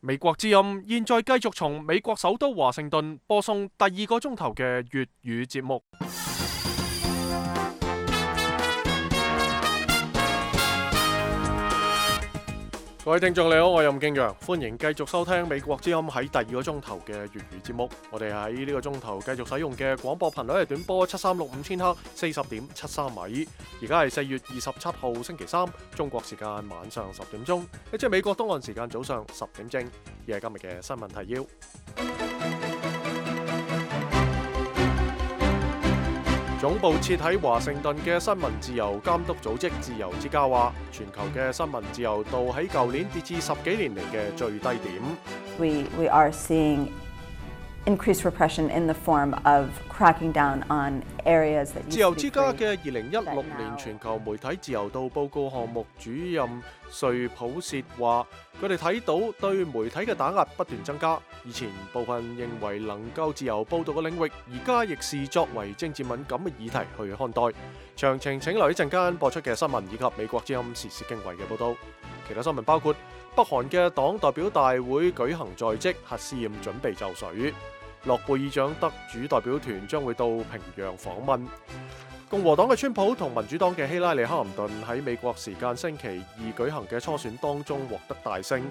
美國之音現在繼續從美國首都華盛頓播送第2個鐘頭嘅粵語節目。各位聽眾你好，我係任敬陽，歡迎繼續收聽美國之音喺第2個鐘頭嘅粵語節目。我哋喺呢個鐘頭繼續使用嘅廣播頻率係短波7365千赫40.73米。而家係4月27號星期三，中國時間晚上10點鐘，即係美國東岸時間早上10點正。而係今日嘅新聞提要。總部設喺華盛頓嘅新聞自由監督組織自由之家話，全球嘅新聞自由度喺舊年跌至10幾年嚟嘅最低點。We are seeing increased repression in the form of cracking down on areas that 自由之家嘅2016年全球媒體自由度報告項目主任瑞普薛話，佢哋睇到對媒體嘅打壓不斷增加。以前部分認為能夠自由報導嘅領域，而家亦視作為政治敏感嘅議題去看待。詳情請留意陣間播出嘅新聞以及美國之音時事經緯嘅報導。其他新聞包括北韓嘅黨代表大會舉行在即，核試驗準備就緒。諾貝爾獎得主代表團將會到平壤訪問。共和黨嘅川普同民主黨嘅希拉里克林頓喺美國時間星期二舉行嘅初選當中獲得大勝。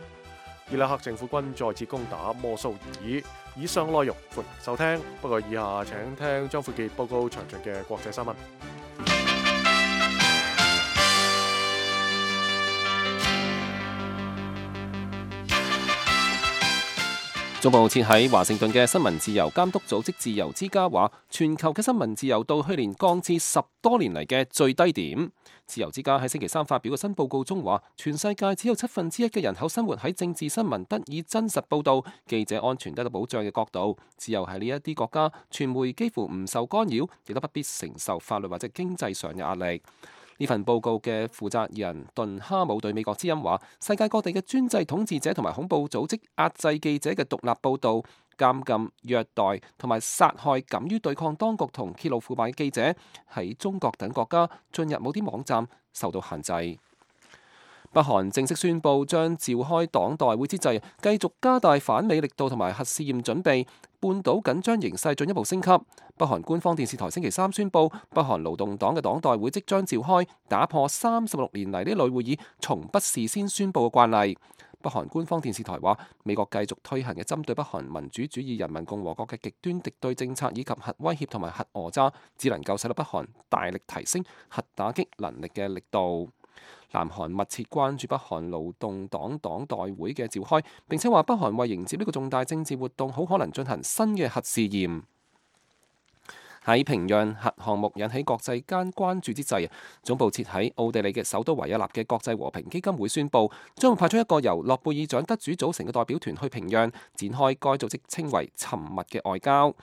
伊拉克政府軍再次攻打摩蘇爾。以上內容歡迎收聽，不過以下請聽張富傑報告詳盡嘅國際新聞。總部設喺華盛頓嘅新聞自由監督組織自由之家話，全球嘅新聞自由度去年降至10多年嚟嘅最低點。自由之家喺星期三發表嘅新報告中話，全世界只有1/7嘅人口生活喺政治新聞得以真實報導、記者安全得到保障嘅國度。只有喺呢一啲國家，傳媒幾乎唔受干擾，亦都不必承受法律或者經濟上嘅壓力。呢份報告嘅負責人頓哈姆對美國之音話，世界各地嘅專制統治者同埋恐怖組織壓制記者嘅獨立報導、監禁、虐待同埋殺害敢於對抗當局同揭露腐敗嘅記者，喺中國等國家進入某啲網站受到限制。北韓正式宣布將召開黨代會之際，繼續加大反美力度同埋核試驗準備，半島緊張形勢進一步升級。北韓官方電視台星期三宣布，北韓勞動黨嘅黨代會即將召開，打破36年嚟呢類會議從不事先宣布嘅慣例。北韓官方電視台話，美國繼續推行嘅針對北韓民主主義人民共和國嘅極端敵對政策以及核威脅同埋核訛詐，只能夠使到北韓大力提升核打擊能力嘅力度。南韓密切關注北韓勞動黨黨代會嘅召開，並且話北韓為迎接呢個重大政治活動，好可能進行新嘅核試驗。喺平壤核項目引起國際間關注之際，總部設喺奧地利嘅首都維也納嘅國際和平基金會宣布，將會派出一個由諾貝爾獎得主組成嘅代表團去平壤，展開該組織稱為沉默嘅外交。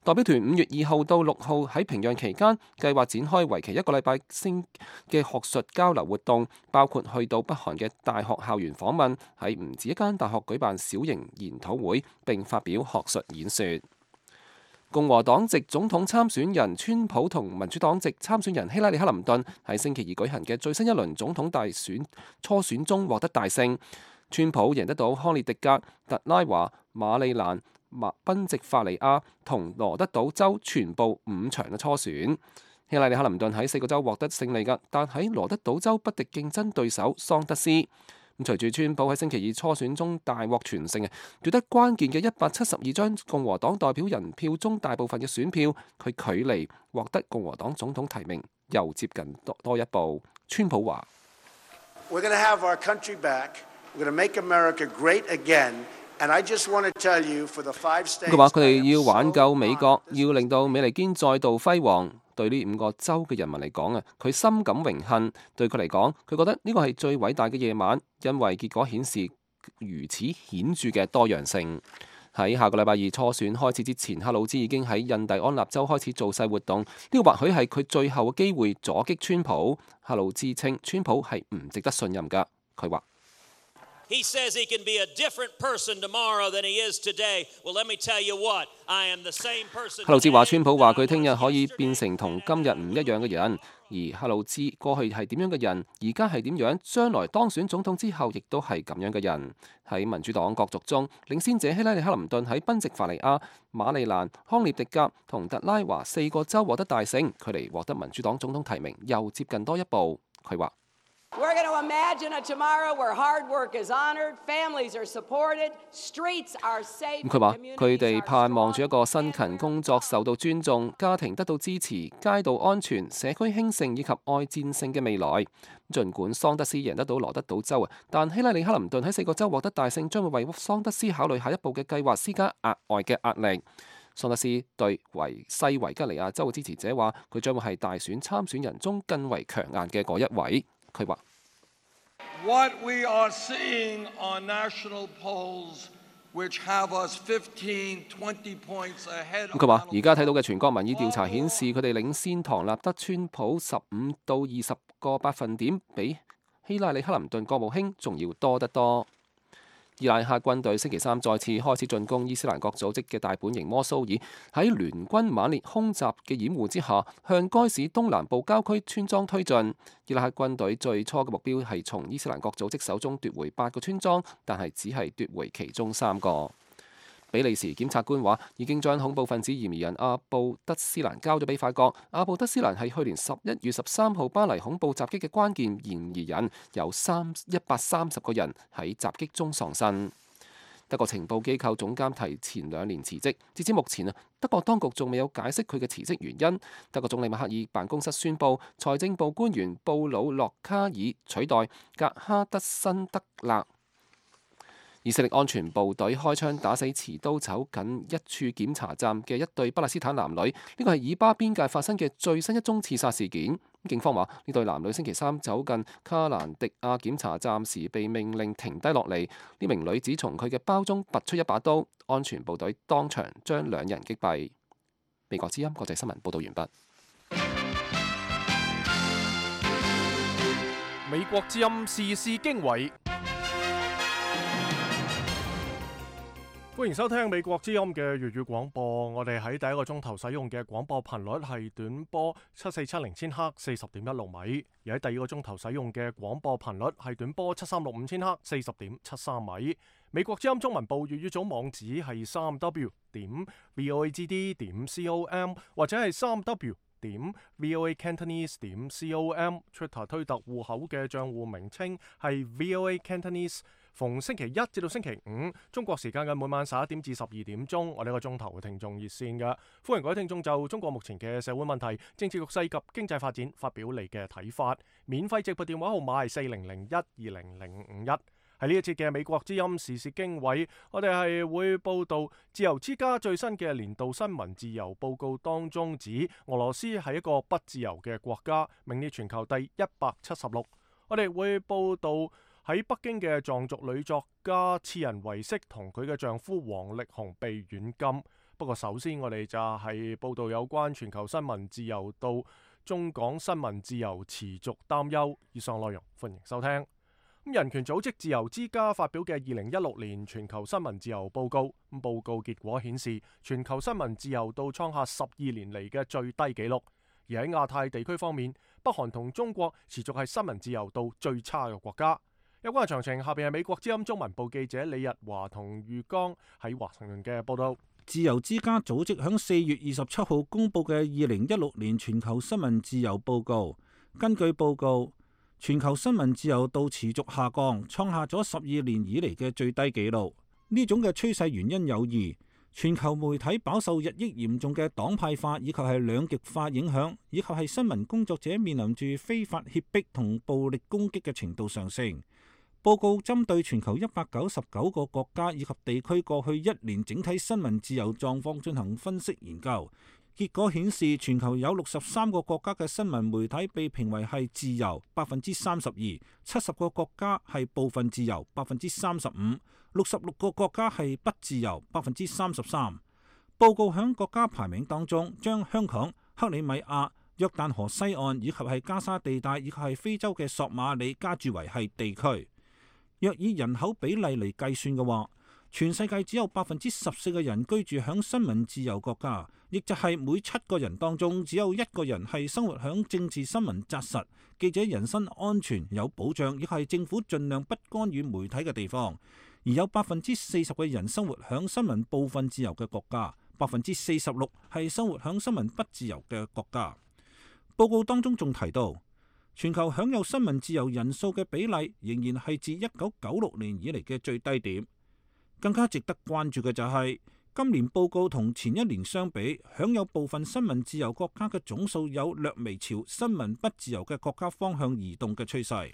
代表團5月2號到6號喺平壤期間，計劃展開為期1個禮拜嘅學術交流活動，包括去到北韓嘅大學校園訪問，喺唔止一間大學舉辦小型研討會，並發表學術演說。共和黨籍總統參選人川普同民主黨籍參選人希拉里克林頓喺星期二舉行嘅最新一輪總統大選初選中獲得大勝。川普贏得到康涅狄格、特拉華、馬里蘭、賓夕法尼亞同羅德島州全部5場嘅初選。希拉里克林頓喺4個州獲得勝利㗎，但喺羅德島州不敵競爭對手桑德斯。隨住川普喺星期二初選中大獲全勝，奪得關鍵嘅172張共和黨代表人票中大部分嘅選票，佢距離獲得共和黨總統提名又接近多一步。川普話：佢話佢哋要挽救美國，要令到美利堅再度輝煌。對呢5個州嘅人民嚟講佢深感榮幸。對佢嚟講，佢覺得呢個係最偉大嘅夜晚，因為結果顯示如此顯著嘅多樣性。喺下個禮拜二初選開始之前，克魯茲已經喺印第安納州開始造勢活動。呢個或許係佢最後嘅機會阻擊川普。克魯茲稱川普係唔值得信任㗎。佢話：He says he can be a different person tomorrow than he is today. Well, let me tell you what, I am the same person. 克魯茲話：川普話佢聽日可以變成同今日唔一樣嘅人。而克魯茲過去係點樣嘅人，而家係點樣，將來當選總統之後，亦都係咁樣嘅人。喺民主黨角逐中，領先者希拉里克林頓喺賓夕法尼亞、馬里蘭、康涅狄格同特拉華4個州獲得大勝，距離獲得民主黨總統提名又接近多一步。佢話：We're going to imagine a tomorrow where hard work is honored, families are supported, streets are safe. 佢話佢哋盼望住一個辛勤工作受到尊重、家庭得到支持、街道安全、社區興盛以及愛戰勝嘅未來。儘管桑德斯贏得到羅德島州，但希拉里克林頓喺4個州獲得大勝，將會為桑德斯考慮下一步嘅計劃施加額外嘅壓力。桑德斯對西維吉尼亞州嘅支持者話：佢將會係大選參選人中更為強硬嘅嗰一位。佢話：What we are seeing on national polls, which have us 15, 20 points ahead. 佢話：而家睇到嘅全國民意調查顯示，佢哋領先唐納德川普15到20個百分點，比希拉里克林頓國務卿仲要多得多。伊拉克軍隊星期三再次開始進攻伊斯蘭國組織嘅大本營摩蘇爾，喺聯軍猛烈空襲嘅掩護之下，向該市東南部郊區村莊推進。伊拉克軍隊最初嘅目標係從伊斯蘭國組織手中奪回8個村莊，但係只係奪回其中3個。比利時檢察官話已經將恐怖分子嫌疑人阿布德斯蘭交咗俾法國。阿布德斯蘭係去年11月13號巴黎恐怖襲擊嘅關鍵嫌疑人，有130個人喺襲擊中喪生。德國情報機構總監提前2年辭職，截至目前德國當局仲未有解釋佢嘅辭職原因。德國總理默克爾辦公室宣布，財政部官員布魯諾卡爾取代格哈德辛德勒。以色列安全部隊開槍打死持刀走近一處檢查站嘅一對巴勒斯坦男女，呢個係以巴邊界發生嘅最新一宗刺殺事件。警方話呢對男女星期三走近卡蘭迪亞檢查站時被命令停低落嚟，呢名女子從佢嘅包中拔出一把刀，安全部隊當場將2人擊斃。美國之音國際新聞報道完畢。美國之音時事經緯。歡迎收聽美國之音嘅粵語廣播。我哋喺第一個鐘頭使用嘅廣播頻率係短波7470千赫40.16米，而喺第二個鐘頭使用嘅廣播頻率係短波7365千赫40.73米。美國之音中文部粵語組網址係3w.voagd.com 或者係3w.voacantonese.com。Twitter 推特戶口嘅賬戶名稱係 VOA Cantonese。逢星期一至到星期五，中國時間嘅每晚11點至12點鐘，我哋一個鐘頭嘅聽眾熱線嘅，歡迎各位聽眾就中國目前嘅社會問題、政治局勢及經濟發展發表你嘅睇法。免費直撥電話號碼係4001200551。喺呢一節嘅美國之音時事經緯，我哋係會報道自由之家最新嘅年度新聞自由報告當中指，俄羅斯係一個不自由嘅國家，名列全球第176。我哋會報道喺北京嘅藏族女作家次仁維色同佢嘅丈夫王力宏被軟禁。不過首先我哋就係報道有關全球新聞自由到中港新聞自由持續擔憂。以上內容歡迎收聽。人權組織自由之家發表嘅2016年全球新聞自由報告，報告結果顯示全球新聞自由度創下12年嚟嘅最低紀錄。而喺亞太地區方面，北韓同中國持續係新聞自由度最差嘅國家。有關嘅詳情，下邊係美國之音中文部記者李日華同裕剛喺華盛頓嘅報道。自由之家組織喺4月27號公布嘅2016年全球新聞自由報告，根據報告，全球新聞自由度持續下降，創下咗12年以嚟嘅最低紀錄。呢種嘅趨勢原因有二：全球媒體飽受日益嚴重嘅黨派化以及係兩極化影響，以及係新聞工作者面臨住非法脅迫同暴力攻擊嘅程度上升。報告針對全球199個國家以及地區過去1年整體新聞自由狀況進行分析研究，結果顯示全球有63個國家嘅新聞媒體被評為係自由32%，70個國家係部分自由35%，66個國家係不自由33%。報告響國家排名當中，將香港、克里米亞、約旦河西岸以及係加沙地帶以及係非洲嘅索馬里加注為係地區。若以人口比例嚟計算嘅話，全世界只有14%嘅人居住響新聞自由國家，亦就係每7個人當中只有1個人係生活響政治新聞紮實、記者人身安全有保障，亦係政府盡量不干預媒體嘅地方。而有40%嘅人生活響新聞部分自由嘅國家，46%係生活響新聞不自由嘅國家。報告當中仲提到，全球享有新聞自由人數嘅比例仍然係自1996年以嚟嘅最低點。更加值得關注嘅就係，今年報告同前一年相比，享有部分新聞自由國家嘅總數有略微朝新聞不自由嘅國家方向移動嘅趨勢。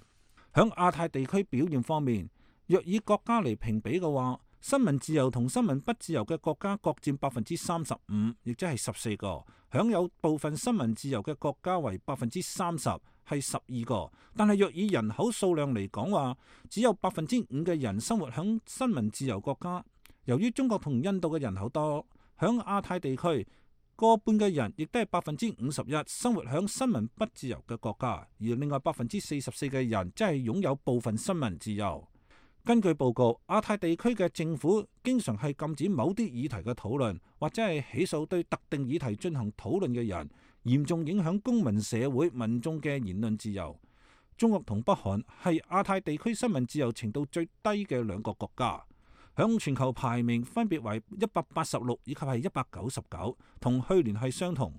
響亞太地區表現方面，若以國家嚟評比嘅話，新聞自由同新聞不自由嘅國家各佔35%，亦即係14個；享有部分新聞自由嘅國家為30%，係12個。但係若以人口數量嚟講話，只有5%嘅人生活響新聞自由國家。由於中國同印度嘅人口多，響亞太地區過半嘅人亦都係51%生活響新聞不自由嘅國家，而另外44%嘅人即係擁有部分新聞自由。根據報告，亞太地區嘅政府經常係禁止某啲議題嘅討論，或者係起訴對特定議題進行討論嘅人，嚴重影響公民社會民眾嘅言論自由。中國同北韓係亞太地區新聞自由程度最低嘅2個國家，響全球排名分別為186以及係199，同去年係相同。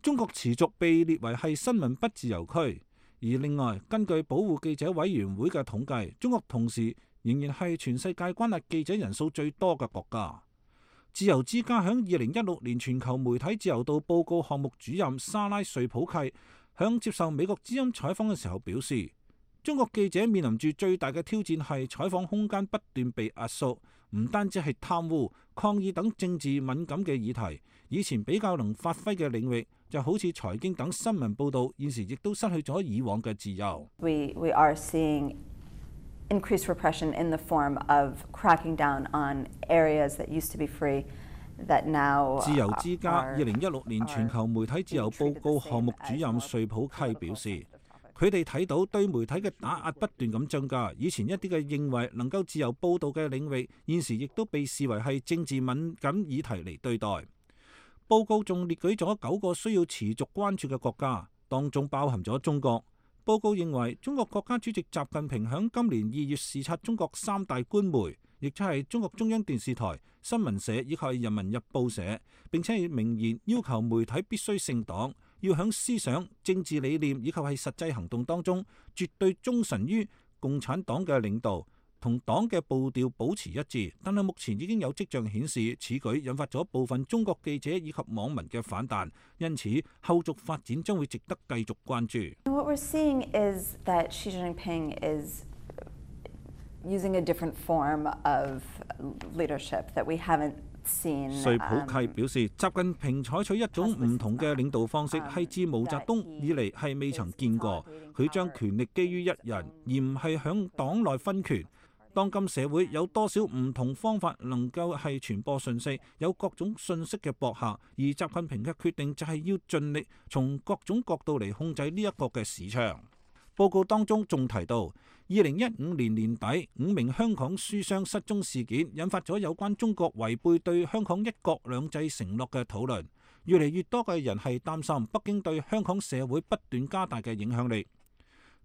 中國持續被列為係新聞不自由區，而另外根據保護記者委員會嘅統計，中國同時仍然係全世界關押記者人數最多嘅國家。自由之家響2016年全球媒體自由度報告項目主任莎拉瑞普契響接受美國之音採訪嘅時候表示，中國記者面臨住最大嘅挑戰係採訪空間不斷被壓縮，唔單止係貪污、抗議等政治敏感嘅議題，以前比較能發揮嘅領域，就好似財經等新聞報導，現時亦都失去咗以往嘅自由。We are seeing increased repression in the form of cracking down on areas that used to be free that now 自由之家2016年全球媒體自由報告項目主任瑞普契表示，佢哋睇到對媒體嘅打壓不斷咁增加，以前一啲嘅認為能夠自由報導嘅領域，現時亦都被視為係政治敏感議題嚟對待。報告仲列舉咗9個需要持續關注嘅國家，當中包含咗中國。報告認為，中國國家主席習近平響今年2月視察中國3大官媒，亦即係中國中央電視台、新聞社以及人民日報社，並且明言要求媒體必須姓黨，要響思想、政治理念以及係實際行動當中，絕對忠誠於共產黨嘅領導，同黨嘅步調保持一致。但係目前已經有跡象顯示，此舉引發咗部分中國記者以及網民嘅反彈，因此後續發展將會值得繼續關注。What we're seeing is that Xi Jinping is using a different form of leadership that we haven't seen. 瑞普契表示，習近平採取一種唔同嘅領導方式，係自毛澤東以嚟係未曾見過。佢將權力基於一人，而唔係響黨內分權。當今社會有多少唔同方法能夠係傳播信息，有各種信息嘅博客，而習近平嘅決定就係要盡力從各種角度嚟控制呢一個嘅市場。報告當中仲提到，2015年年底5名香港書商失蹤事件，引發咗有關中國違背對香港一國兩制承諾嘅討論。越嚟越多嘅人係擔心北京對香港社會不斷加大嘅影響力。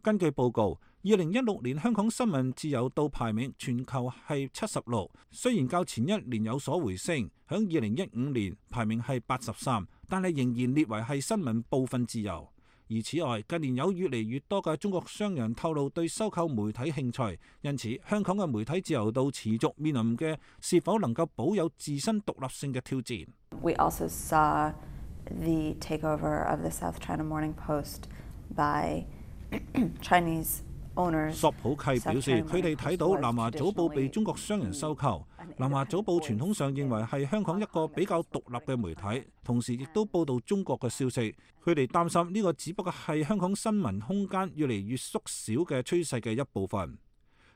根據報告，2016年香港新聞自由度排名全球係76，雖然較前一年有所回升，響2015年排名係83，但係仍然列為係新聞部分自由。而此外，近年有越嚟越多嘅中國商人透露對收購媒體興趣，因此香港嘅媒體自由度持續面臨嘅是否能夠保有自身獨立性嘅挑戰。We also saw the takeover of the South China Morning Post by Chinese owners. 索普契表示，佢哋睇到南華早報被中國商人收購。南華早報傳統上認為係香港一個比較獨立嘅媒體，同時亦都報導中國嘅消息。佢哋擔心呢個只不過係香港新聞空間越嚟越縮小嘅趨勢嘅一部分。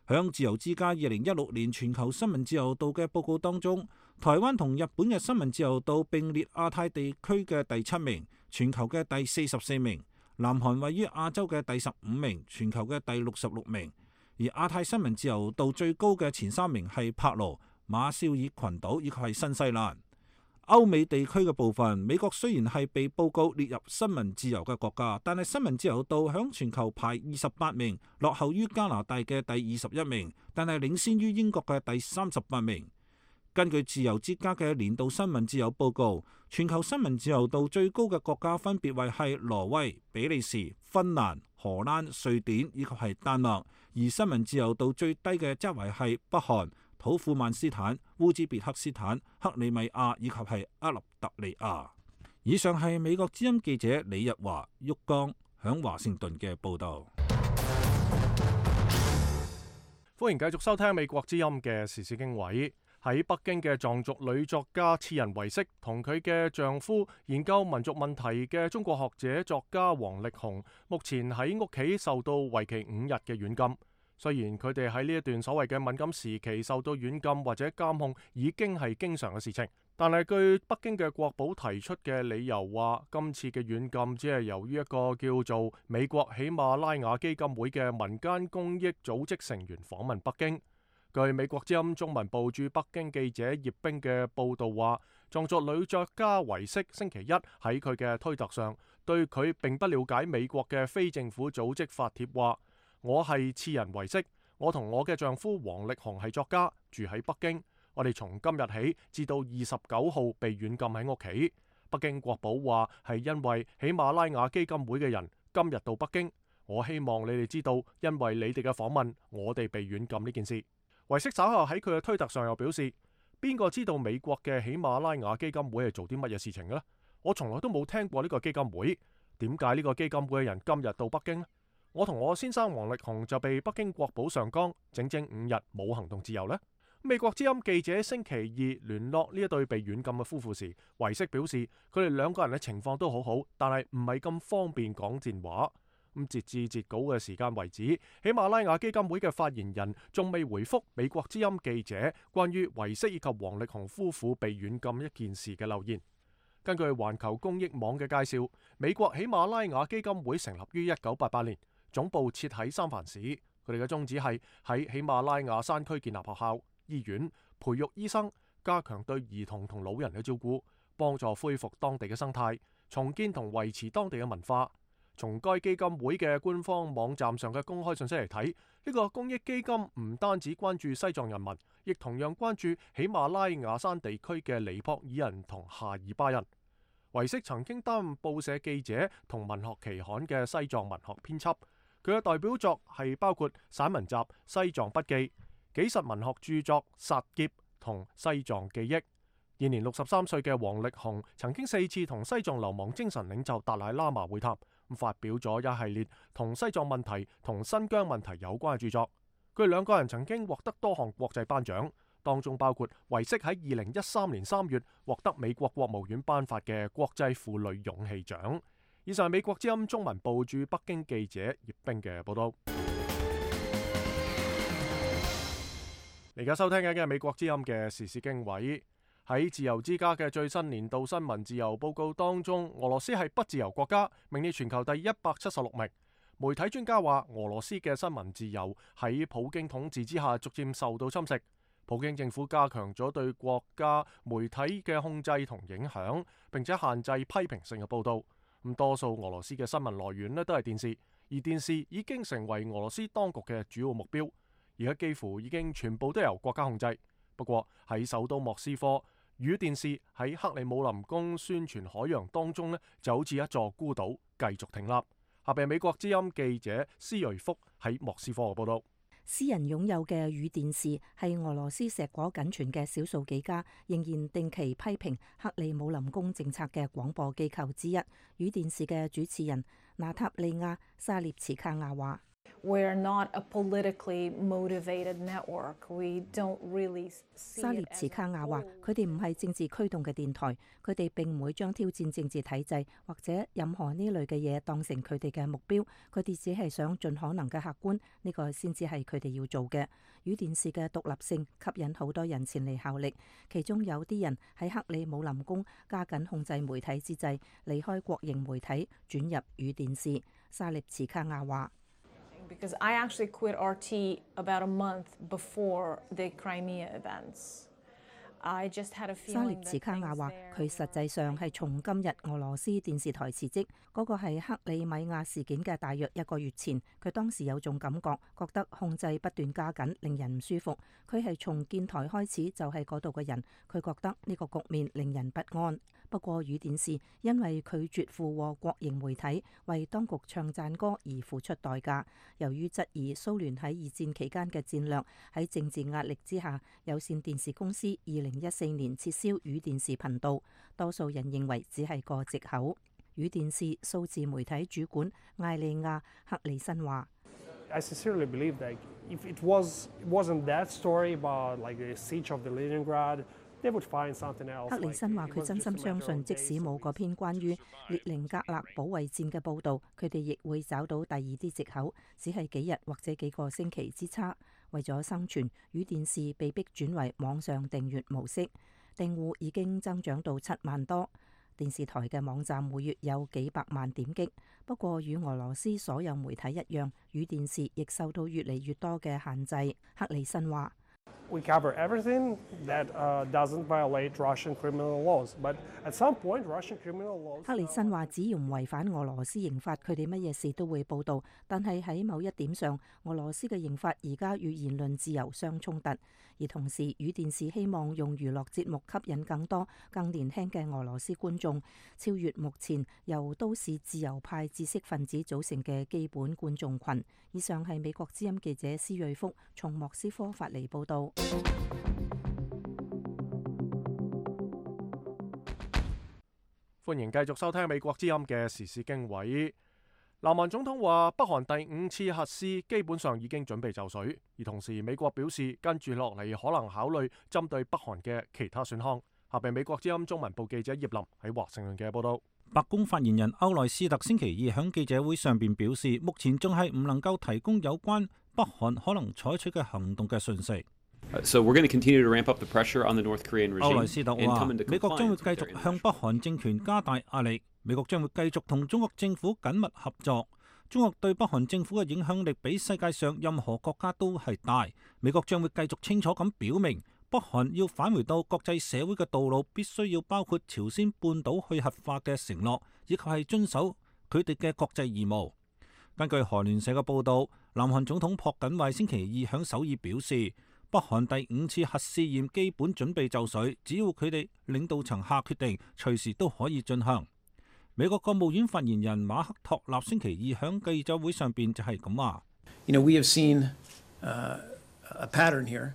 響自由之家2016年全球新聞自由度嘅報告當中，台灣同日本嘅新聞自由度並列亞太地區嘅第7名，全球嘅第44名。南韓位於亞洲嘅第15名，全球嘅第66名。而亞太新聞自由度最高嘅前3名係柏勞、馬紹爾群島以及係新西蘭。歐美地區嘅部分，美國雖然係被報告列入新聞自由嘅國家，但係新聞自由度響全球排28名，落後於加拿大嘅第21名，但係領先於英國嘅第38名。根據自由之家嘅年度新聞自由報告，全球新聞自由度最高嘅國家分別為係挪威、比利時、芬蘭、荷蘭、瑞典以及係丹麥，而新聞自由度最低嘅則為係北韓、土庫曼斯坦、烏茲別克斯坦、克里米亞以及係厄立特里亞。以上係美國之音記者李日華、旭江響華盛頓嘅報導。歡迎繼續收聽美國之音嘅時事經緯。喺北京嘅藏族女作家次仁唯色同佢嘅丈夫研究民族問題嘅中國學者作家王力宏，目前喺屋企受到為期5日嘅軟禁。雖然佢哋喺呢一段所謂嘅敏感時期受到軟禁或者監控已經係經常嘅事情，但係據北京嘅國保提出嘅理由話，今次嘅軟禁只係由於一個叫做美國喜馬拉雅基金會嘅民間公益組織成員訪問北京。據美國之音中文部駐北京記者葉冰嘅報道話，藏族女作家唯色星期一喺佢嘅推特上對佢並不了解美國嘅非政府組織發帖話：我係次仁唯色，我同我嘅丈夫王力宏係作家，住喺北京。我哋從今日起至到29號被軟禁喺屋企。北京國保話係因為喜馬拉雅基金會嘅人今日到北京。我希望你哋知道，因為你哋嘅訪問，我哋被軟禁呢件事。唯色稍後喺佢嘅推特上又表示：邊個知道美國嘅喜馬拉雅基金會係做啲乜嘢事情嘅呢？我從來都冇聽過呢個基金會。點解呢個基金會嘅人今日到北京呢？我同我先生王力宏就被北京國保上綱，整整5日冇行動自由呢。美國之音記者星期2聯絡呢一對被軟禁嘅夫婦時，唯色表示佢哋兩個人嘅情況都好好，但係唔係咁方便講賤話。截至截稿嘅時間為止，喜馬拉雅基金會嘅發言人仲未回覆美國之音記者關於唯色以及王力宏夫婦被軟禁一件事嘅留言。根據環球公益網嘅介紹，美國喜馬拉雅基金會成立於1988年，總部設喺三藩市。佢哋嘅宗旨係喺喜馬拉雅山區建立學校、醫院，培育醫生，加強對兒童同老人嘅照顧，幫助恢復當地嘅生態，重建同維持當地嘅文化。從該基金會嘅官方網站上嘅公開信息嚟睇，呢個公益基金唔單止關注西藏人民，亦同樣關注喜馬拉雅山地區嘅尼泊爾人同夏爾巴人。唯色曾經擔任報社記者同文學期刊嘅西藏文學編輯，佢嘅代表作係包括散文集《西藏筆記》、紀實文學著作《薩劫》同《西藏記憶》。現年63歲嘅王力宏曾經4次同西藏流亡精神領袖達賴喇嘛會談，發表咗一系列同西藏問題同新疆問題有關嘅著作。佢哋兩個人曾經獲得多項國際頒獎，當中包括唯色喺2013年3月獲得美國國務院頒發嘅國際婦女勇氣獎。以上係美國之音中文部駐北京記者葉冰嘅報道。你而家收聽緊嘅係美國之音嘅時事經緯。喺自由之家嘅最新年度新聞自由報告當中，俄羅斯係不自由國家，名列全球第176名。媒體專家話，俄羅斯嘅新聞自由喺普京統治之下逐漸受到侵蝕。普京政府加強咗對國家媒體嘅控制同影響，並且限制批評性嘅報道。咁多數俄羅斯嘅新聞來源呢都係電視，而電視已經成為俄羅斯當局嘅主要目標，而家幾乎已經全部都由國家控制。不過喺首都莫斯科，語電視喺克里姆林宮宣傳海洋當中呢，就好似一座孤島，繼續挺立。下邊美國之音記者施瑞福喺莫斯科嘅報道。私人擁有嘅語電視係俄羅斯碩果僅存嘅少數幾家仍然定期批評克里姆林宮政策嘅廣播機構之一。語電視嘅主持人娜塔莉亞·沙列茨卡亞話：We're not a politically motivated network. We don't really see it as 沙列茨卡亞話：佢哋唔係政治驅動嘅電台，佢哋並唔會將挑戰政治體制或者任何呢類嘅嘢當成佢哋嘅目標。佢哋只係想盡可能嘅客觀，呢個先至係佢哋要做嘅。語電視嘅獨立性吸引好多人前嚟效力，其中有啲人喺克里姆林宮加緊控制媒體之際，離開國營媒體轉入語電視。沙列茨卡亞話：Because I actually quit RT about a month before the Crimea events. 沙列茨卡亞話：佢實際上係從今日俄羅斯電視台辭職，嗰個係克里米亞事件嘅大約1個月前。佢當時有種感覺，覺得控制不斷加緊，令人唔舒服。佢係從建台開始就係嗰度嘅人，佢覺得呢個局面令人不安。不過語電視因為拒絕附和國營媒體為當局唱讚歌而付出代價。由於質疑蘇聯喺二戰期間嘅戰略，喺政治壓力之下，有線電視公司2014年撤銷語電視頻道。多數人認為只係個藉口。語電視數字媒體主管艾利亞克里森話：I sincerely believe that if it wasn't that story about like the siege of the Leningrad, they would find something else. 克里森話：佢真心相信，即使冇嗰篇關於列寧格勒保衛戰嘅報導，佢哋亦會找到第二啲藉口，只係幾日或者幾個星期之差。為咗生存，語電視被迫轉為網上訂閱模式，訂戶已經增長到7萬多。電視台嘅網站每月有幾百萬點擊。不過與俄羅斯所有媒體一樣，語電視亦受到越嚟越多嘅限制。克里森話：We cover everything that doesn't violate Russian criminal laws, but at some point, Russian criminal laws. 克里森話：只要唔違反俄羅斯刑法，佢哋乜嘢事都會報導。但係喺某一點上，俄羅斯嘅刑法而家與言論自由相衝突。而同時，語電視希望用娛樂節目吸引更多、更年輕嘅俄羅斯觀眾，超越目前由都市自由派知識分子組成嘅基本觀眾群。以上係美國之音記者施瑞福從莫斯科發嚟報導。歡迎繼續收聽美國之音嘅時事經緯。南韓總統話，北韓第5次核試基本上已經準備就緒，而同時美國表示跟住落嚟可能考慮針對北韓嘅其他選項。下邊美國之音中文部記者葉林喺華盛頓嘅報道。白宮發言人歐萊斯特星期二喺記者會上邊表示，目前仲係唔能夠提供有關北韓可能採取嘅行動嘅訊息。So we're going to continue to ramp up the pressure on the North Korean regime. 歐萊斯特話，美國將會繼續向北韓政權加大壓力。美國將會繼續同中國政府緊密合作。中國對北韓政府嘅影響力比世界上任何國家都係大。美國將會繼續清楚咁表明，北韓要返回到國際社會嘅道路，必須要包括朝鮮半島去核化嘅承諾，以及係遵守佢哋嘅國際義務。根據韓聯社嘅報導，南韓總統朴槿惠星期二響首爾表示，北韓第5次核試驗基本準備就緒，只要佢哋領導層下決定，隨時都可以進行。美國國務院發言人馬克托納星期二響記者會上邊就係咁話。We have seen a pattern here.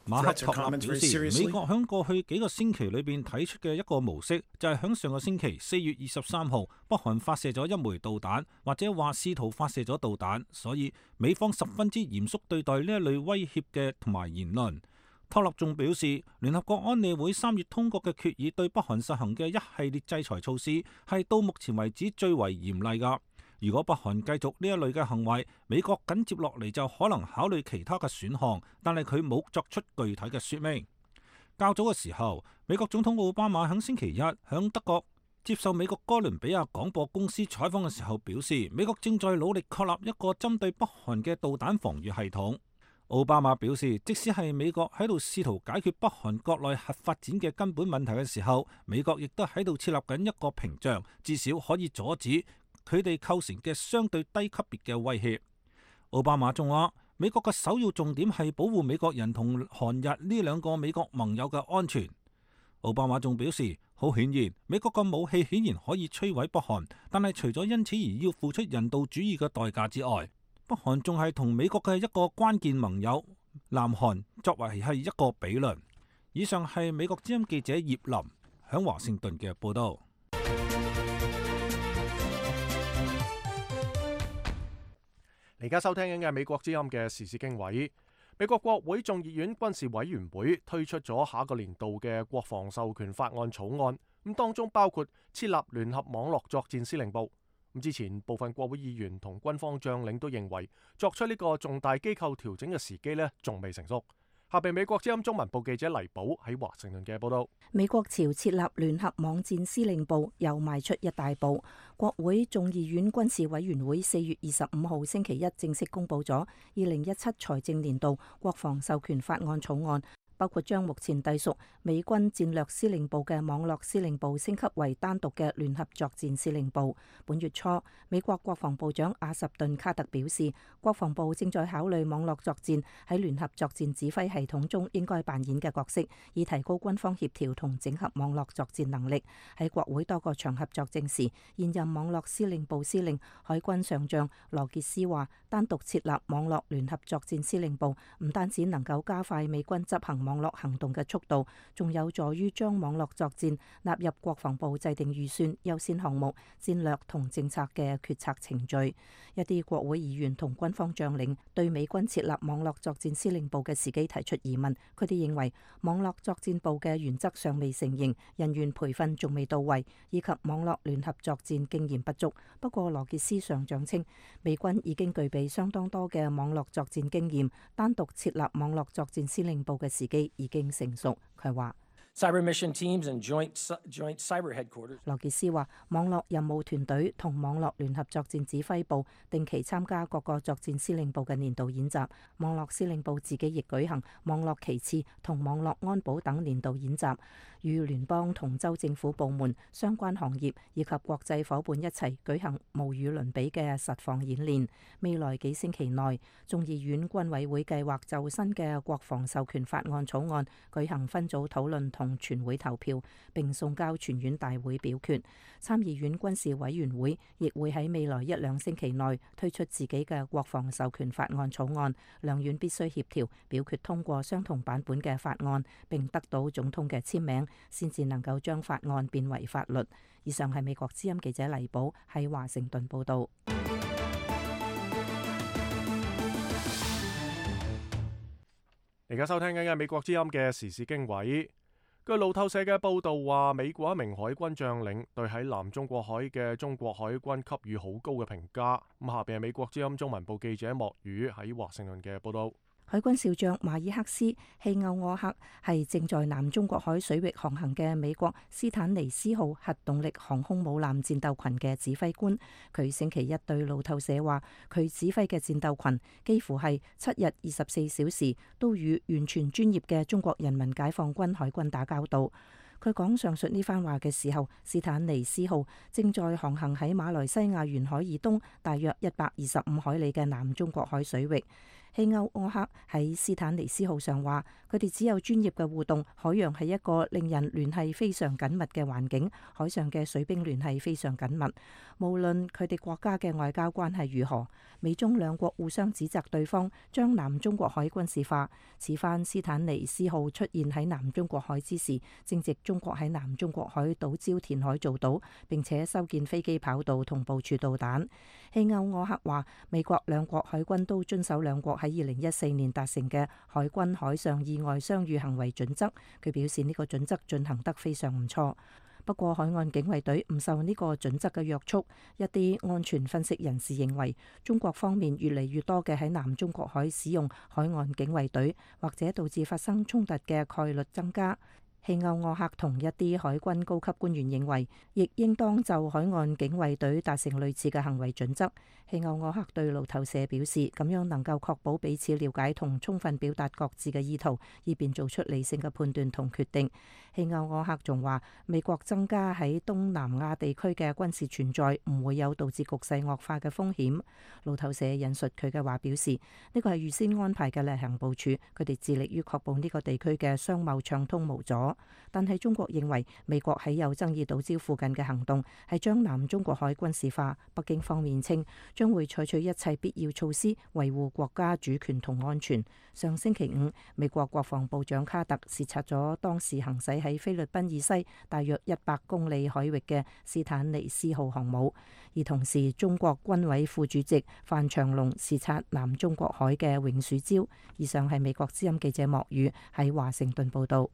馬克托納表示，美國響過去幾個星期裏邊睇出嘅一個模式，就係響上個星期4月23號，北韓發射咗1枚導彈，或者話試圖發射咗導彈，所以美方十分之嚴肅對待呢一類威脅嘅同埋言論。托納仲表示，聯合國安理會3月通過嘅決議對北韓實行嘅一系列制裁措施係到目前為止最為嚴厲㗎。如果北韓繼續呢一類嘅行為，美國緊接落嚟就可能考慮其他嘅選項，但係佢冇作出具體嘅説明。較早嘅時候，美國總統奧巴馬喺星期一喺德國接受美國哥倫比亞廣播公司採訪嘅時候表示，美國正在努力確立一個針對北韓嘅導彈防禦系統。奧巴馬表示，即使係美國喺度試圖解決北韓國內核發展嘅根本問題嘅時候，美國亦都喺度設立緊一個屏障，至少可以阻止佢哋構成嘅相對低級別嘅威脅。奧巴馬仲話，美國嘅首要重點係保護美國人同韓日呢兩個美國盟友嘅安全。奧巴馬仲表示，好顯然，美國嘅武器顯然可以摧毀北韓，但係除咗因此而要付出人道主義嘅代價之外，北韓仲係同美國嘅一個關鍵盟友南韓作為係一個比論。以上係美國之音記者葉林響華盛頓嘅報道。而家收聽緊嘅美國之音嘅時事經緯，美國國會眾議院軍事委員會推出咗下個年度嘅國防授權法案草案，咁當中包括設立聯合網絡作戰司令部。咁之前部分國會議員同軍方將領都認為作出呢個重大機構調整嘅時機呢仲未成熟。下邊美國之音中文部記者黎寶喺華盛頓嘅報道。美國朝設立聯合網戰司令部又邁出一大步。國會眾議院軍事委員會4月25號星期一正式公布咗2017財政年度國防授權法案草案，包括將目前隸屬美軍戰略司令部嘅網絡司令部升級為單獨嘅聯合作戰司令部。本月初，美國國防部長阿什頓卡特表示，國防部正在考慮網絡作戰喺聯合作戰指揮系統中應該扮演嘅角色，以提高軍方協調同整合網絡作戰能力。喺國會多個場合作證時，現任網絡司令部司令海軍上將羅傑斯話，單獨設立網絡聯合作戰司令部唔單止能夠加快美軍執行網絡行動嘅速度，仲有助於將網絡作戰納入國防部制定預算、優先項目、戰略同政策嘅決策程序。一啲國會議員同軍方將領對美軍設立網絡作戰司令部嘅時機提出疑問，佢哋認為網絡作戰部嘅原則尚未成型，人員培訓仲未到位，以及網絡聯合作戰經驗不足。不過羅傑斯上將稱，美軍已經具備相當多嘅網絡作戰經驗，單獨設立網絡作戰司令部嘅時機已經成熟。佢話Cyber mission teams and joint cyber headquarters。羅傑斯話，網絡任務團隊同網絡聯合作戰指揮部定期參加各個作戰司令部嘅年度演習，網絡司令部自己亦舉行網絡旗幟同網絡安保等年度演習，與聯邦同州政府部門、相關行業以及國際夥伴一齊舉行無與倫比嘅實況演練。未來幾星期內，眾議院軍委會計劃就新嘅國防授權法案草案舉行分組討論同全會投票，並送交全院大會表決。參議院軍事委員會亦會喺未來一兩星期內推出自己嘅國防授權法案草案，兩院必須協調表決通過相同版本嘅法案，並得到總統嘅簽名，先至能夠將法案變為法律。以上係美國之音記者黎寶喺華盛頓報道。而家收聽緊嘅美國之音嘅時事經緯。據路透社嘅報導話，美國一名海軍將領對喺南中國海嘅中國海軍給予好高嘅評價。咁下邊係美國之音中文部記者莫宇喺華盛頓嘅報導。海軍少將馬爾克斯·希歐柯克係正在南中國海水域航行嘅美國斯坦尼斯號核動力航空母艦戰鬥群嘅指揮官。佢星期一對路透社話，佢指揮嘅戰鬥群幾乎係7日24小時都與完全專業嘅中國人民解放軍海軍打交道。佢講上述呢番話嘅時候，斯坦尼斯號正在航行喺馬來西亞沿海以東大約125海里嘅南中國海水域。希歐柯克喺斯坦尼斯號上話，佢哋只有專業嘅互動，海洋係一個令人聯繫非常緊密嘅環境，海上嘅水兵聯繫非常緊密。無論佢哋國家嘅外交關係如何，美中兩國互相指責對方將南中國海軍事化。此番斯坦尼斯號出現喺南中國海之時，正值中國喺南中國海島礁填海造島，並且修建飛機跑道同部署導彈。希歐柯克話，美國兩國海軍都遵守兩國喺2014年達成嘅海軍海上意外相遇行為準則。佢表示呢個準則進行得非常唔錯。不過海岸警衛隊唔受呢個準則嘅約束。一啲安全分析人士認為，中國方面越嚟越多嘅喺南中國海使用海岸警衛隊，或者導致發生衝突嘅概率增加。希歐柯克同一啲海軍高級官員認為，亦應當就海岸警衛隊達成類似嘅行為準則。希歐柯克對路透社表示，咁樣能夠確保彼此了解同充分表達各自嘅意圖，以便做出理性嘅判斷同決定。希歐柯克仲話，美國增加喺東南亞地區嘅軍事存在唔會有導致局勢惡化嘅風險。路透社引述佢嘅話表示，呢個係預先安排嘅例行部署，佢哋致力於確保呢個地區嘅商貿暢通無阻。但係中國認為美國喺有爭議島礁附近嘅行動係將南中國海軍事化。北京方面稱將會採取一切必要措施維護國家主權同安全。上星期五，美國國防部長卡特視察咗當時行駛喺菲律賓以西大約100公里海域嘅斯坦尼斯號航母，而同時中國軍委副主席范長龍視察南中國海嘅永暑礁。以上係美國之音記者莫宇喺華盛頓報道。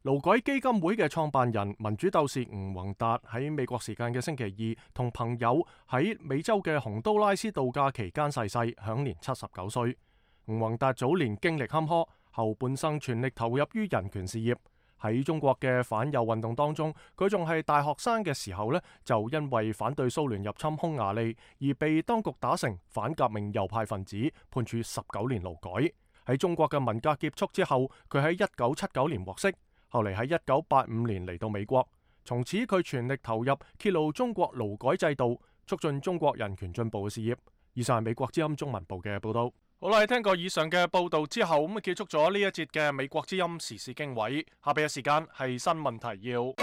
勞改基金會嘅創辦人民主鬥士吳宏達喺美國時間嘅星期二同朋友喺美洲嘅洪都拉斯度假期間逝世，享年79歲。吳宏達早年經歷坎坷，後半生全力投入於人權事業。喺中國嘅反右運動當中，佢仲係大學生嘅時候呢，就因為反對蘇聯入侵匈牙利而被當局打成反革命右派分子，判處19年勞改。喺中國嘅文革結束之後，佢喺1979年獲釋，後嚟喺1985年嚟到美國，從此佢全力投入揭露中國勞改制度，促進中國人權進步嘅事業。以上係美國之音中文部嘅報道。好啦，聽過以上嘅報道之後，咁結束咗呢一節嘅美國之音時事經緯。下邊嘅時間係新聞提要。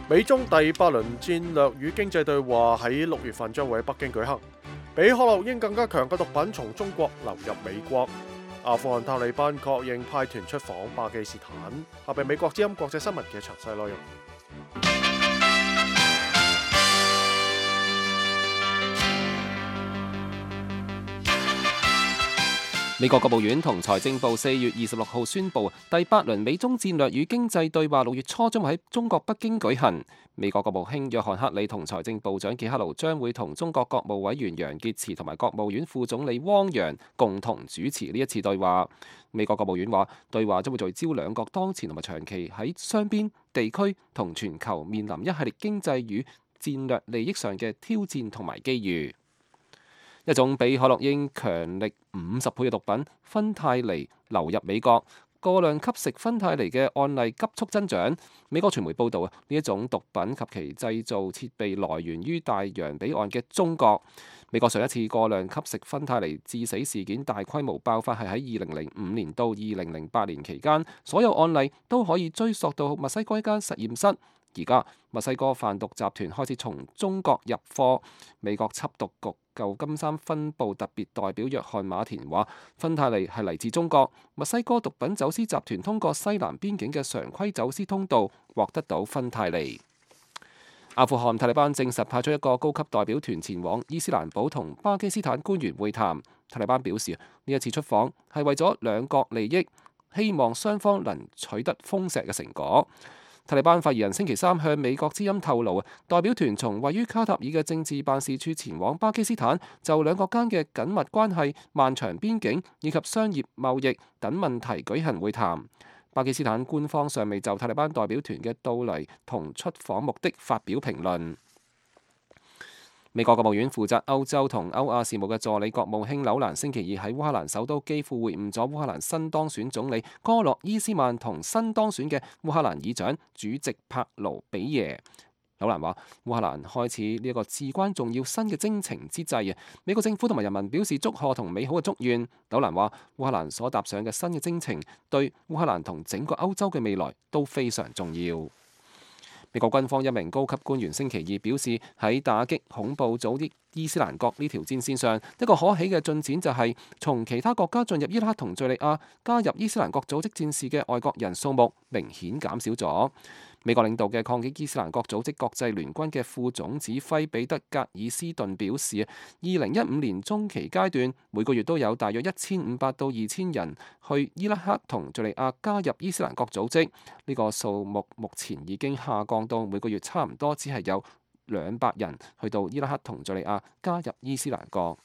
美中第8輪戰略與經濟對話喺6月份將會喺北京舉行。比可樂英更加強嘅毒品從中國流入美國。阿富汗塔利班確認派團出訪巴基斯坦。下邊美國之音國際新聞嘅詳細內容。美國國務院同財政部4月26號宣布，第8輪美中戰略與經濟對話6月初將會喺中國北京舉行。美國國務卿約翰克里同財政部長傑克盧將會同中國國務委員楊潔篪同埋國務院副總理汪洋共同主持呢一次對話。美國國務院話，對話將會聚焦兩國當前同埋長期喺雙邊、地區同全球面臨一系列經濟與戰略利益上嘅挑戰同埋機遇。一種比可樂英強力50倍嘅毒品芬太尼流入美國，過量吸食芬太尼嘅案例急速增長。美國傳媒報道啊，呢一種毒品及其製造設備來源於大洋彼岸嘅中國。美國上一次過量吸食芬太尼致死事件大規模爆發係喺2005年到2008年期間，所有案例都可以追溯到墨西哥一間實驗室。而家墨西哥販毒集團開始從中國入貨。美國緝毒局舊金山分部特別代表約翰馬田話，芬太尼係嚟自中國，墨西哥毒品走私集團通過西南邊境嘅常規走私通道獲得到芬太尼。阿富汗塔利班證實派出一個高級代表團前往伊斯蘭堡同巴基斯坦官員會談。塔利班表示，呢一次出訪係為咗兩國利益，希望雙方能取得豐碩嘅成果。塔利班發言人星期三向美國之音透露，代表團從位於卡塔爾嘅政治辦事處前往巴基斯坦，就兩國間嘅緊密關係、漫長邊境以及商業貿易等問題舉行會談。巴基斯坦官方尚未就塔利班代表團嘅到嚟同出訪目的發表評論。美國國務院負責歐洲同歐亞事務嘅助理國務卿紐蘭星期二喺烏克蘭首都基輔會晤咗烏克蘭新當選總理戈洛伊斯曼同新當選嘅烏克蘭議長主席帕盧比耶。紐蘭話：烏克蘭開始呢一個至關重要新嘅征程之際啊，美國政府同埋人民表示祝賀同美好嘅祝願。紐蘭話：烏克蘭所踏上嘅新嘅征程對烏克蘭同整個歐洲嘅未來都非常重要。美國軍方一名高級官員星期二表示，喺打擊恐怖組織伊斯蘭國呢條戰線上，一個可喜嘅進展就係從其他國家進入伊拉克同敘利亞加入伊斯蘭國組織戰士嘅外國人數目明顯減少咗。美國領導嘅抗擊伊斯蘭國組織國際聯軍嘅副總指揮彼得格爾斯頓表示，2015年中期階段每個月都有大約1500到2000人去伊拉克同敘利亞加入伊斯蘭國組織，呢個數目目前已經下降到每個月差唔多只係有200人去到伊拉克同敘利亞加入伊斯蘭國。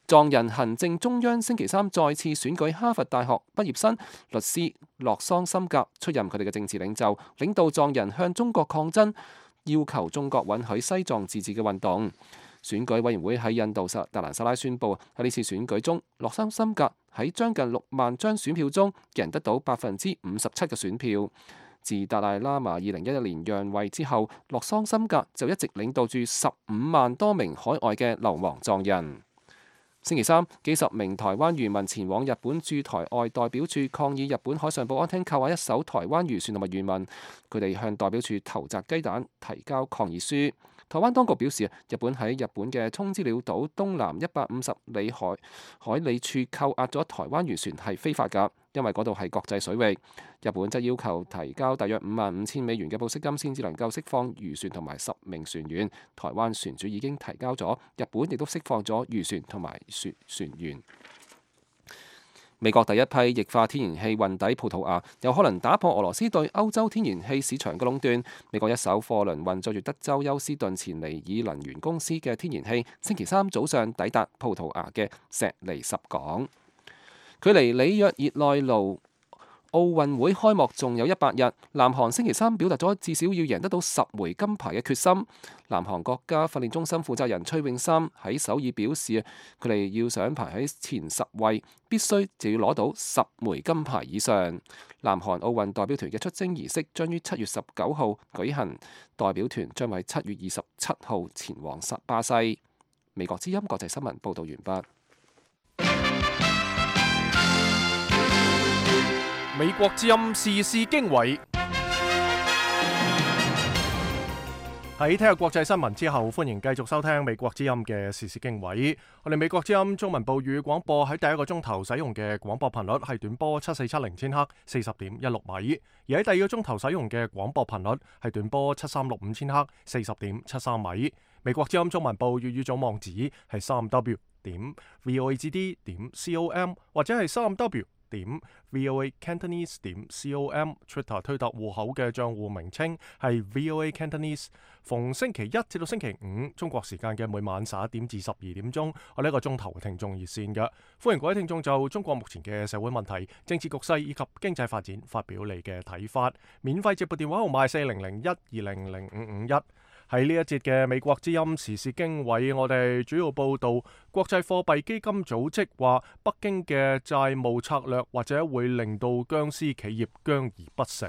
藏人行政中央星期三再次選舉哈佛大學畢業生律師洛桑森格出任佢哋嘅政治領袖，領導藏人向中國抗爭，要求中國允許西藏自治嘅運動。選舉委員會喺印度達蘭薩拉宣布，喺呢次選舉中，洛桑森格喺將近6萬張選票中，贏得到57%嘅選票。自達賴喇嘛2011年讓位之後，洛桑森格就一直領導住15萬多名海外嘅流亡藏人。星期三，幾十名台灣漁民前往日本駐台外代表處抗議日本海上保安廳扣押一艘台灣漁船同埋漁民，佢哋向代表處投擲雞蛋，提交抗議書。台灣當局表示，日本喺日本嘅沖之鳥島東南150里海里處扣押咗台灣漁船係非法㗎，因為嗰度係國際水域。日本則要求提交大約$55,000嘅保釋金先至能夠釋放漁船同埋10名船員。台灣船主已經提交咗，日本亦都釋放咗漁船同埋船員。美國第一批液化天然氣運抵葡萄牙，有可能打破俄羅斯對歐洲天然氣市場嘅壟斷。美國一艘貨輪運載住德州休斯頓前尼爾能源公司嘅天然氣，星期三早上抵達葡萄牙嘅錫尼什港。距離里約熱內盧奧運會開幕仲有100日，南韓星期三表達咗至少要贏得到10枚金牌嘅決心。南韓國家訓練中心負責人崔永三喺首爾表示，佢哋要想排喺前10位，必須就要攞到10枚金牌以上。南韓奧運代表團嘅出征儀式將於7月19號舉行，代表團將喺7月27號前往巴西。美國之音國際新聞報導完畢。美國之音時事經緯。喺聽日國際新聞之後，歡迎繼續收聽美國之音嘅時事經緯。我哋美國之音中文部語廣播喺第一個鐘頭使用嘅廣播頻率係短波7470千赫40.16米，而喺第二個鐘頭使用嘅廣播頻率係短波7365千赫40.73米。美國之音中文部粵語總網址係3w.voagd.com 或者係3w.voacantonese.com。 Twitter 推特戶口嘅帳戶名稱係 VOA Cantonese。 逢星期一至到星期五中國時間嘅每晚11點至12點鐘，我呢一個鐘頭聽眾熱線嘅，歡迎各位聽眾就中國目前嘅社會問題、政治局勢以及經濟發展發表你嘅睇法。免費接撥電話號碼4001200551。喺呢一節嘅美國之音時事經緯，我哋主要報道國際貨幣基金組織話，北京嘅債務策略或者會令到僵屍企業僵而不死。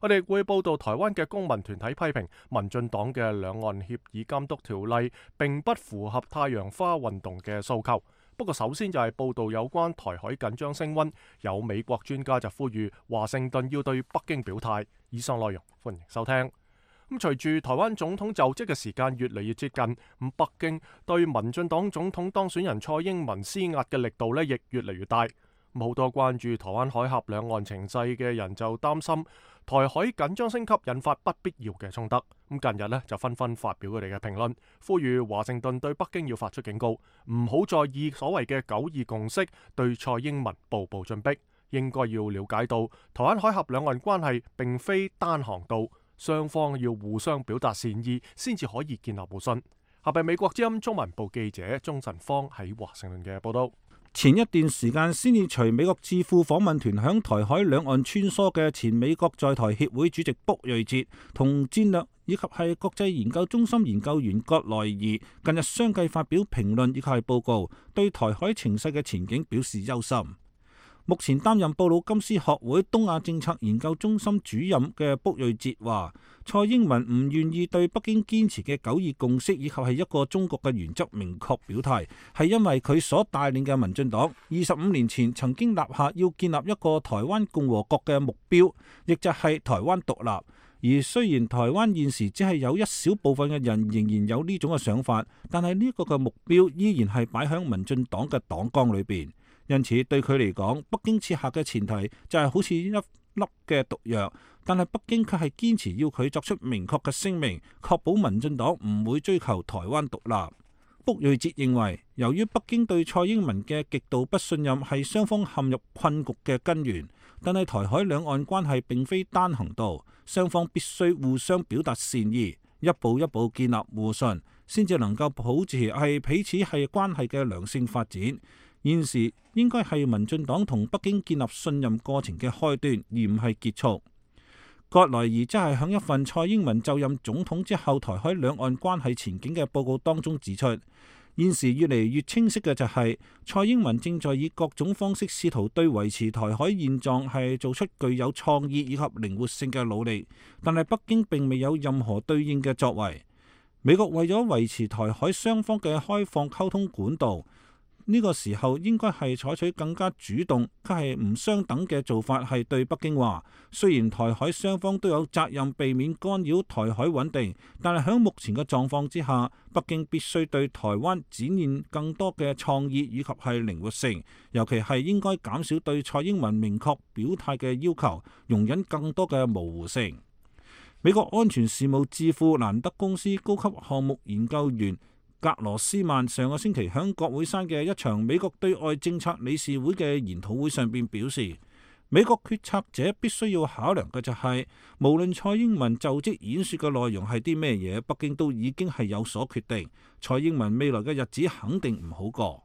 我哋會報道台灣嘅公民團體批評民進黨嘅兩岸協議監督條例並不符合太陽花運動嘅訴求。不過首先就係報道有關台海緊張升溫，有美國專家就呼籲華盛頓要對北京表態。以上內容歡迎收聽。隨住台灣總統就職嘅時間越嚟越接近，北京對民進黨總統當選人蔡英文施壓嘅力度亦越嚟越大。好多關注台灣海峽兩岸情勢嘅人就擔心台海緊張升級引發不必要嘅衝突。近日就紛紛發表佢哋嘅評論，呼籲華盛頓對北京要發出警告，唔好再以所謂嘅9·2共識對蔡英文步步進逼。應該要了解到台灣海峽兩岸關係並非單航道，雙方要互相表達善意先至可以建立互信。下邊美國之音中文部記者鍾晨芳喺華盛頓嘅報道。前一段時間先至隨美國智庫訪問團響台海兩岸穿梭嘅前美國在台協會主席卜瑞哲同戰略以及係國際研究中心研究員葛萊儀近日相繼發表評論以及係報告，對台海情勢嘅前景表示憂心。目前擔任布魯金斯學會東亞政策研究中心主任嘅卜瑞哲話，蔡英文唔願意對北京堅持嘅9·2共識以及係一個中國嘅原則明確表態，係因為佢所帶領嘅民進黨25年前曾經立下要建立一個台灣共和國嘅目標，亦就係台灣獨立。而雖然台灣現時只係有一小部分嘅人仍然有呢種嘅想法，但係呢個嘅目標依然係擺喺民進黨嘅黨綱裏邊。因此對佢嚟講，北京設下嘅前提就係好似一粒嘅毒藥，但係北京卻係堅持要佢作出明確嘅聲明，確保民進黨唔會追求台灣獨立。卜瑞哲認為，由於北京對蔡英文嘅極度不信任係雙方陷入困局嘅根源，但係台海兩岸關係並非單行道，雙方必須互相表達善意，一步一步建立互信，先至能夠保持係彼此係關係嘅良性發展。現時應該係民進黨同北京建立信任過程嘅開端，而唔係結束。葛萊儀則係響一份蔡英文就任總統之後台海兩岸關係前景嘅報告當中指出，現時越嚟越清晰嘅就係蔡英文正在以各種方式試圖對維持台海現狀係做出具有創意以及靈活性嘅努力，但係北京並未有任何對應嘅作為。美國為咗維持台海雙方嘅開放溝通管道，呢個時候應該係採取更加主動，卻係唔相等嘅做法，係對北京話，雖然台海雙方都有責任避免干擾台海穩定，但係喺目前嘅狀況之下，北京必須對台灣展現更多嘅創意以及係靈活性，尤其係應該減少對蔡英文明確表態嘅要求，容忍更多嘅模糊性。美國安全事務智庫蘭德公司高級項目研究員格羅斯曼上個星期喺國會山嘅一場美國對外政策理事會嘅研討會上邊表示，美國決策者必須要考量嘅就係，無論蔡英文就職演說嘅內容係啲咩嘢，北京都已經係有所決定。蔡英文未來嘅日子肯定唔好過。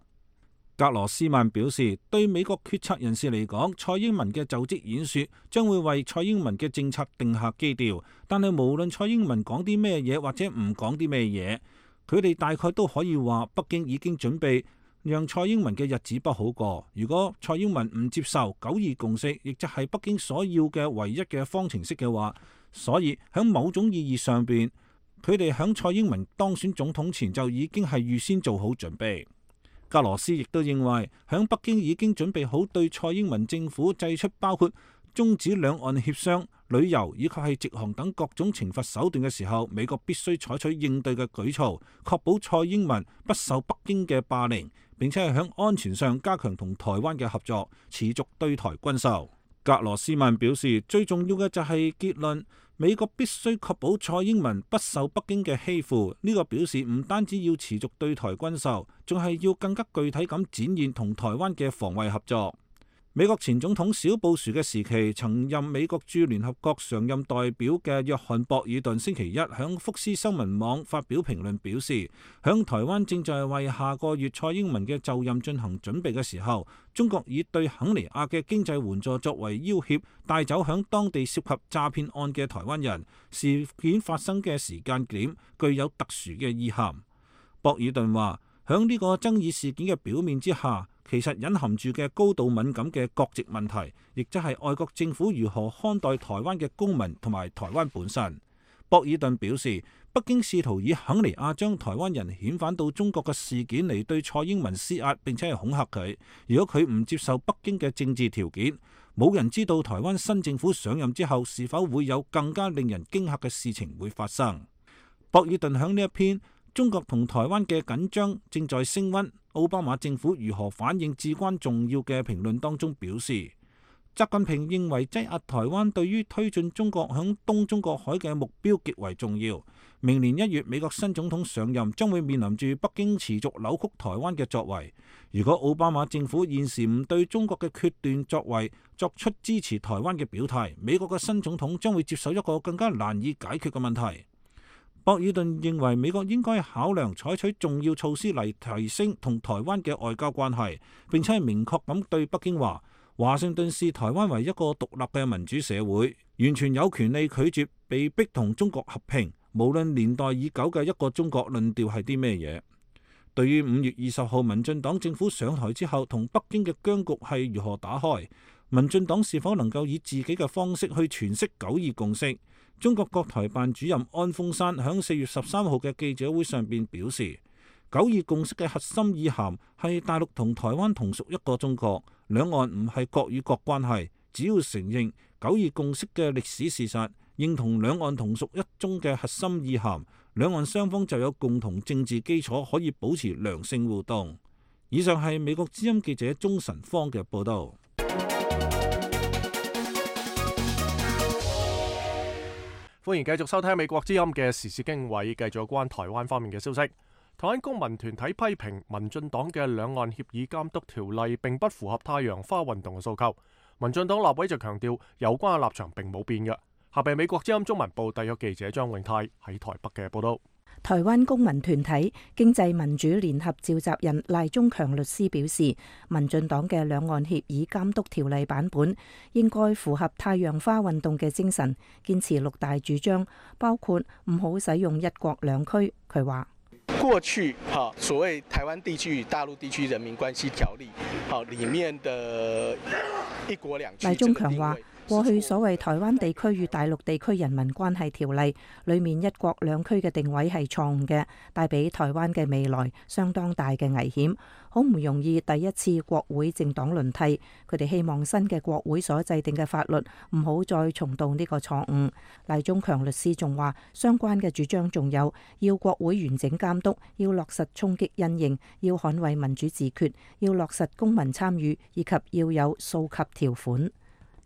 格羅斯曼表示，對美國決策人士嚟講，蔡英文嘅就職演說將會為蔡英文嘅政策定下基調，但係無論蔡英文講啲咩嘢或者唔講啲咩嘢，佢哋大概都可以話北京已經準備讓蔡英文嘅日子不好過。如果蔡英文唔接受9·2共識，亦就係北京所要嘅唯一嘅方程式嘅話，所以喺某種意義上邊，佢哋喺蔡英文當選總統前就已經係預先做好準備。格羅斯亦都認為，喺北京已經準備好對蔡英文政府祭出包括終止兩岸協商、旅遊以及係直航等各種懲罰手段嘅時候，美國必須採取應對嘅舉措，確保蔡英文不受北京嘅霸凌，並且係喺安全上加強同台灣嘅合作，持續對台軍售。格羅斯曼表示，最重要嘅就係結論，美國必須確保蔡英文不受北京嘅欺負。呢個表示唔單止要持續對台軍售，仲係要更加具體咁展現同台灣嘅防衛合作。美國前總統小布殊嘅時期，曾任美國駐聯合國常任代表嘅約翰博爾頓星期一響福斯新聞網發表評論，表示響台灣正在為下個月蔡英文嘅就任進行準備嘅時候，中國以對肯尼亞嘅經濟援助作為要挾，帶走響當地涉及詐騙案嘅台灣人。事件發生嘅時間點具有特殊嘅意涵。博爾頓話，響呢個爭議事件嘅表面之下，其實隱含住嘅高度敏感嘅國籍問題，亦即係外國政府如何看待台灣嘅公民同埋台灣本身。博爾頓表示，北京試圖以肯尼亞將台灣人遣返到中國嘅事件嚟對蔡英文施壓，並且係恐嚇佢。如果佢唔接受北京嘅政治條件，冇人知道台灣新政府上任之後是否會有更加令人驚嚇嘅事情會發生。博爾頓喺呢一篇中國同台灣嘅緊張正在升溫，奧巴馬政府如何反應至關重要嘅評論當中表示，習近平認為擠壓台灣對於推進中國響東中國海嘅目標極為重要。明年1月美國新總統上任，將會面臨住北京持續扭曲台灣嘅作為。如果奧巴馬政府現時唔對中國嘅決斷作為作出支持台灣嘅表態，美國嘅新總統將會接受一個更加難以解決嘅問題。博爾頓認為美國應該考量採取重要措施嚟提升同台灣嘅外交關係，並且係明確咁對北京話，華盛頓視台灣為一個獨立嘅民主社會，完全有權利拒絕被逼同中國合併，無論年代已久嘅一個中國論調係啲咩嘢。對於5月20號民進黨政府上台之後同北京嘅僵局係如何打開，民進黨是否能夠以自己嘅方式去詮釋9·2共識？中國國台辦主任安峰山喺4月13號嘅記者會上邊表示，9·2共識嘅核心意涵係大陸同台灣同屬一個中國，兩岸唔係國與國關係，只要承認9·2共識嘅歷史事實，認同兩岸同屬一中嘅核心意涵，兩岸雙方就有共同政治基礎可以保持良性互動。以上係美國之音記者鍾晨芳嘅報道。歡迎繼續收聽美國之音嘅時事經緯，繼續有關台灣方面嘅消息。台灣公民團體批評民進黨嘅兩岸協議監督條例並不符合太陽花運動嘅訴求。民進黨立委就強調有關嘅立場並冇變嘅。下邊美國之音中文部特約記者張永泰喺台北嘅報道。台灣公民團體經濟民主聯合召集人賴中強律師表示，民進黨嘅兩岸協議監督條例版本應該符合太陽花運動嘅精神，堅持6大主張，包括唔好使用一國兩區。佢話：過去所謂台灣地區與大陸地區人民關係條例裡面的一國兩區。賴中強話：過去所謂台灣地區與大陸地區人民關係條例裏面一國兩區嘅定位係錯誤嘅，帶俾台灣嘅未來相當大嘅危險，好唔容易第一次國會政黨輪替，佢哋希望新嘅國會所制定嘅法律唔好再重蹈呢個錯誤。賴中強律師仲話，相關嘅主張仲有要國會完整監督，要落實衝擊因應，要捍衛民主自決，要落實公民參與，以及要有溯及條款。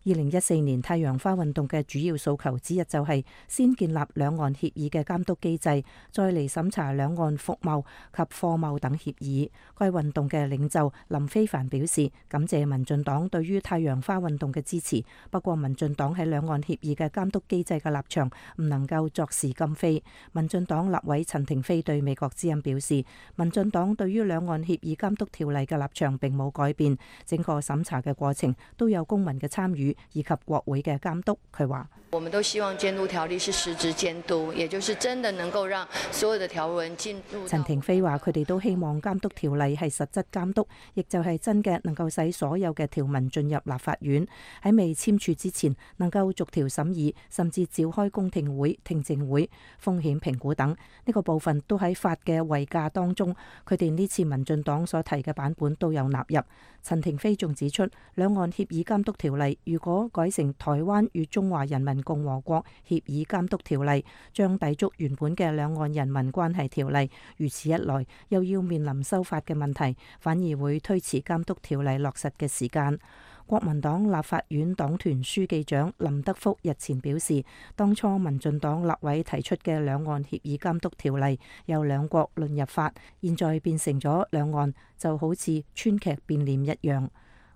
2014年太陽花運動嘅主要訴求之一就係先建立兩岸協議嘅監督機制，再嚟審查兩岸服貿及貨貿等協議。該運動嘅領袖林飛帆表示，感謝民進黨對於太陽花運動嘅支持，不過民進黨喺兩岸協議嘅監督機制嘅立場唔能夠作事今非。民進黨立委陳亭妃對美國之音表示，民進黨對於兩岸協議監督條例嘅立場並冇改變，整個審查嘅過程都有公民嘅參與以及國會嘅監督。佢話：我們都希望監督條例是實質監督，也就是真的能夠讓所有的條文進入。陳亭妃話：佢哋都希望監督條例係實質監督，亦就係真嘅能夠使所有嘅條文進入立法院，喺未簽署之前能夠逐條審議，甚至召開公聽會、聽證會、風險評估等。呢個部分都喺法嘅遺架當中，佢哋呢次民進黨所提嘅版本都有納入。陳亭妃仲指出，兩岸協議監督條例如果改成台灣與中華人民共和國協議監督條例，將抵觸原本嘅兩岸人民關係條例。如此一來，又要面臨修法嘅問題，反而會推遲監督條例落實嘅時間。國民黨立法院黨團書記長林德福日前表示，當初民進黨立委提出嘅兩岸協議監督條例由兩國論入法，現在變成咗兩岸就好似川劇變臉一樣。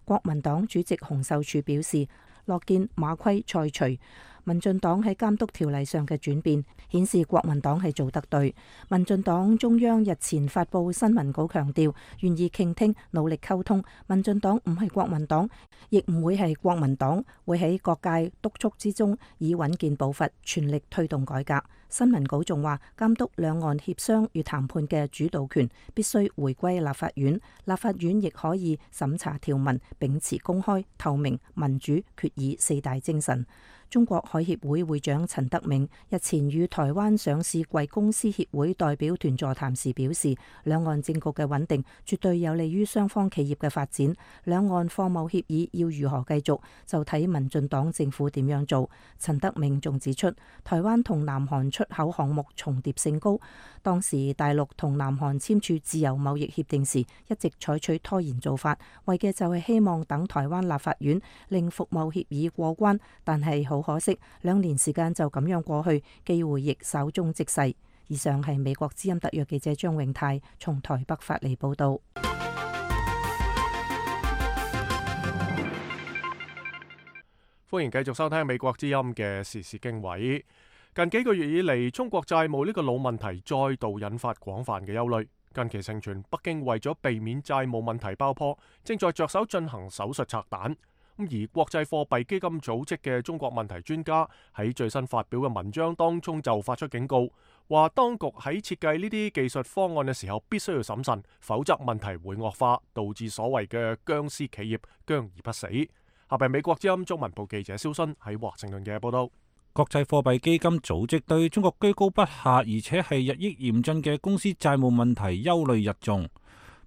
國民黨主席洪秀柱表示，樂見馬虧菜除。民進黨喺監督條例上嘅轉變，顯示國民黨係做得對。民進黨中央日前發布新聞稿強調，願意傾聽、努力溝通。民進黨唔係國民黨，亦唔會係國民黨，會喺各界督促之中，以穩健步伐，全力推動改革。新聞稿仲話，監督兩岸協商與談判嘅主導權必須回歸立法院，立法院亦可以審查條文，秉持公開、透明、民主、決議四大精神。中國海協會會長陳德銘日前與台灣上市櫃公司協會代表團座談時表示，兩岸政局嘅穩定絕對有利於雙方企業嘅發展。兩岸貨貿協議要如何繼續，就睇民進黨政府點樣做。陳德銘仲指出，台灣同南韓出口項目重疊性高，當時大陸同南韓簽署自由貿易協定時，一直採取拖延做法，為嘅就係希望等台灣立法院令服貿協議過關，但係好可惜，2年時間就咁樣過去，機會亦稍縱即逝。以上係美國之音特約記者張永泰從台北發嚟報道。歡迎繼續收聽美國之音嘅時事經緯。近幾個月以嚟，中國債務呢個老問題再度引發廣泛嘅憂慮。近期盛傳北京為咗避免債務問題爆破，正在着手進行手術拆彈。而國際貨幣基金組織嘅中國問題專家喺最新發表嘅文章當中就發出警告，話當局喺設計呢啲技術方案嘅時候必須要審慎，否則問題會惡化，導致所謂嘅僵屍企業僵而不死。下邊美國之音中文部記者蕭순喺華盛頓嘅報道。國際貨幣基金組織對中國居高不下，而且係日益嚴峻嘅公司債務問題憂慮日重，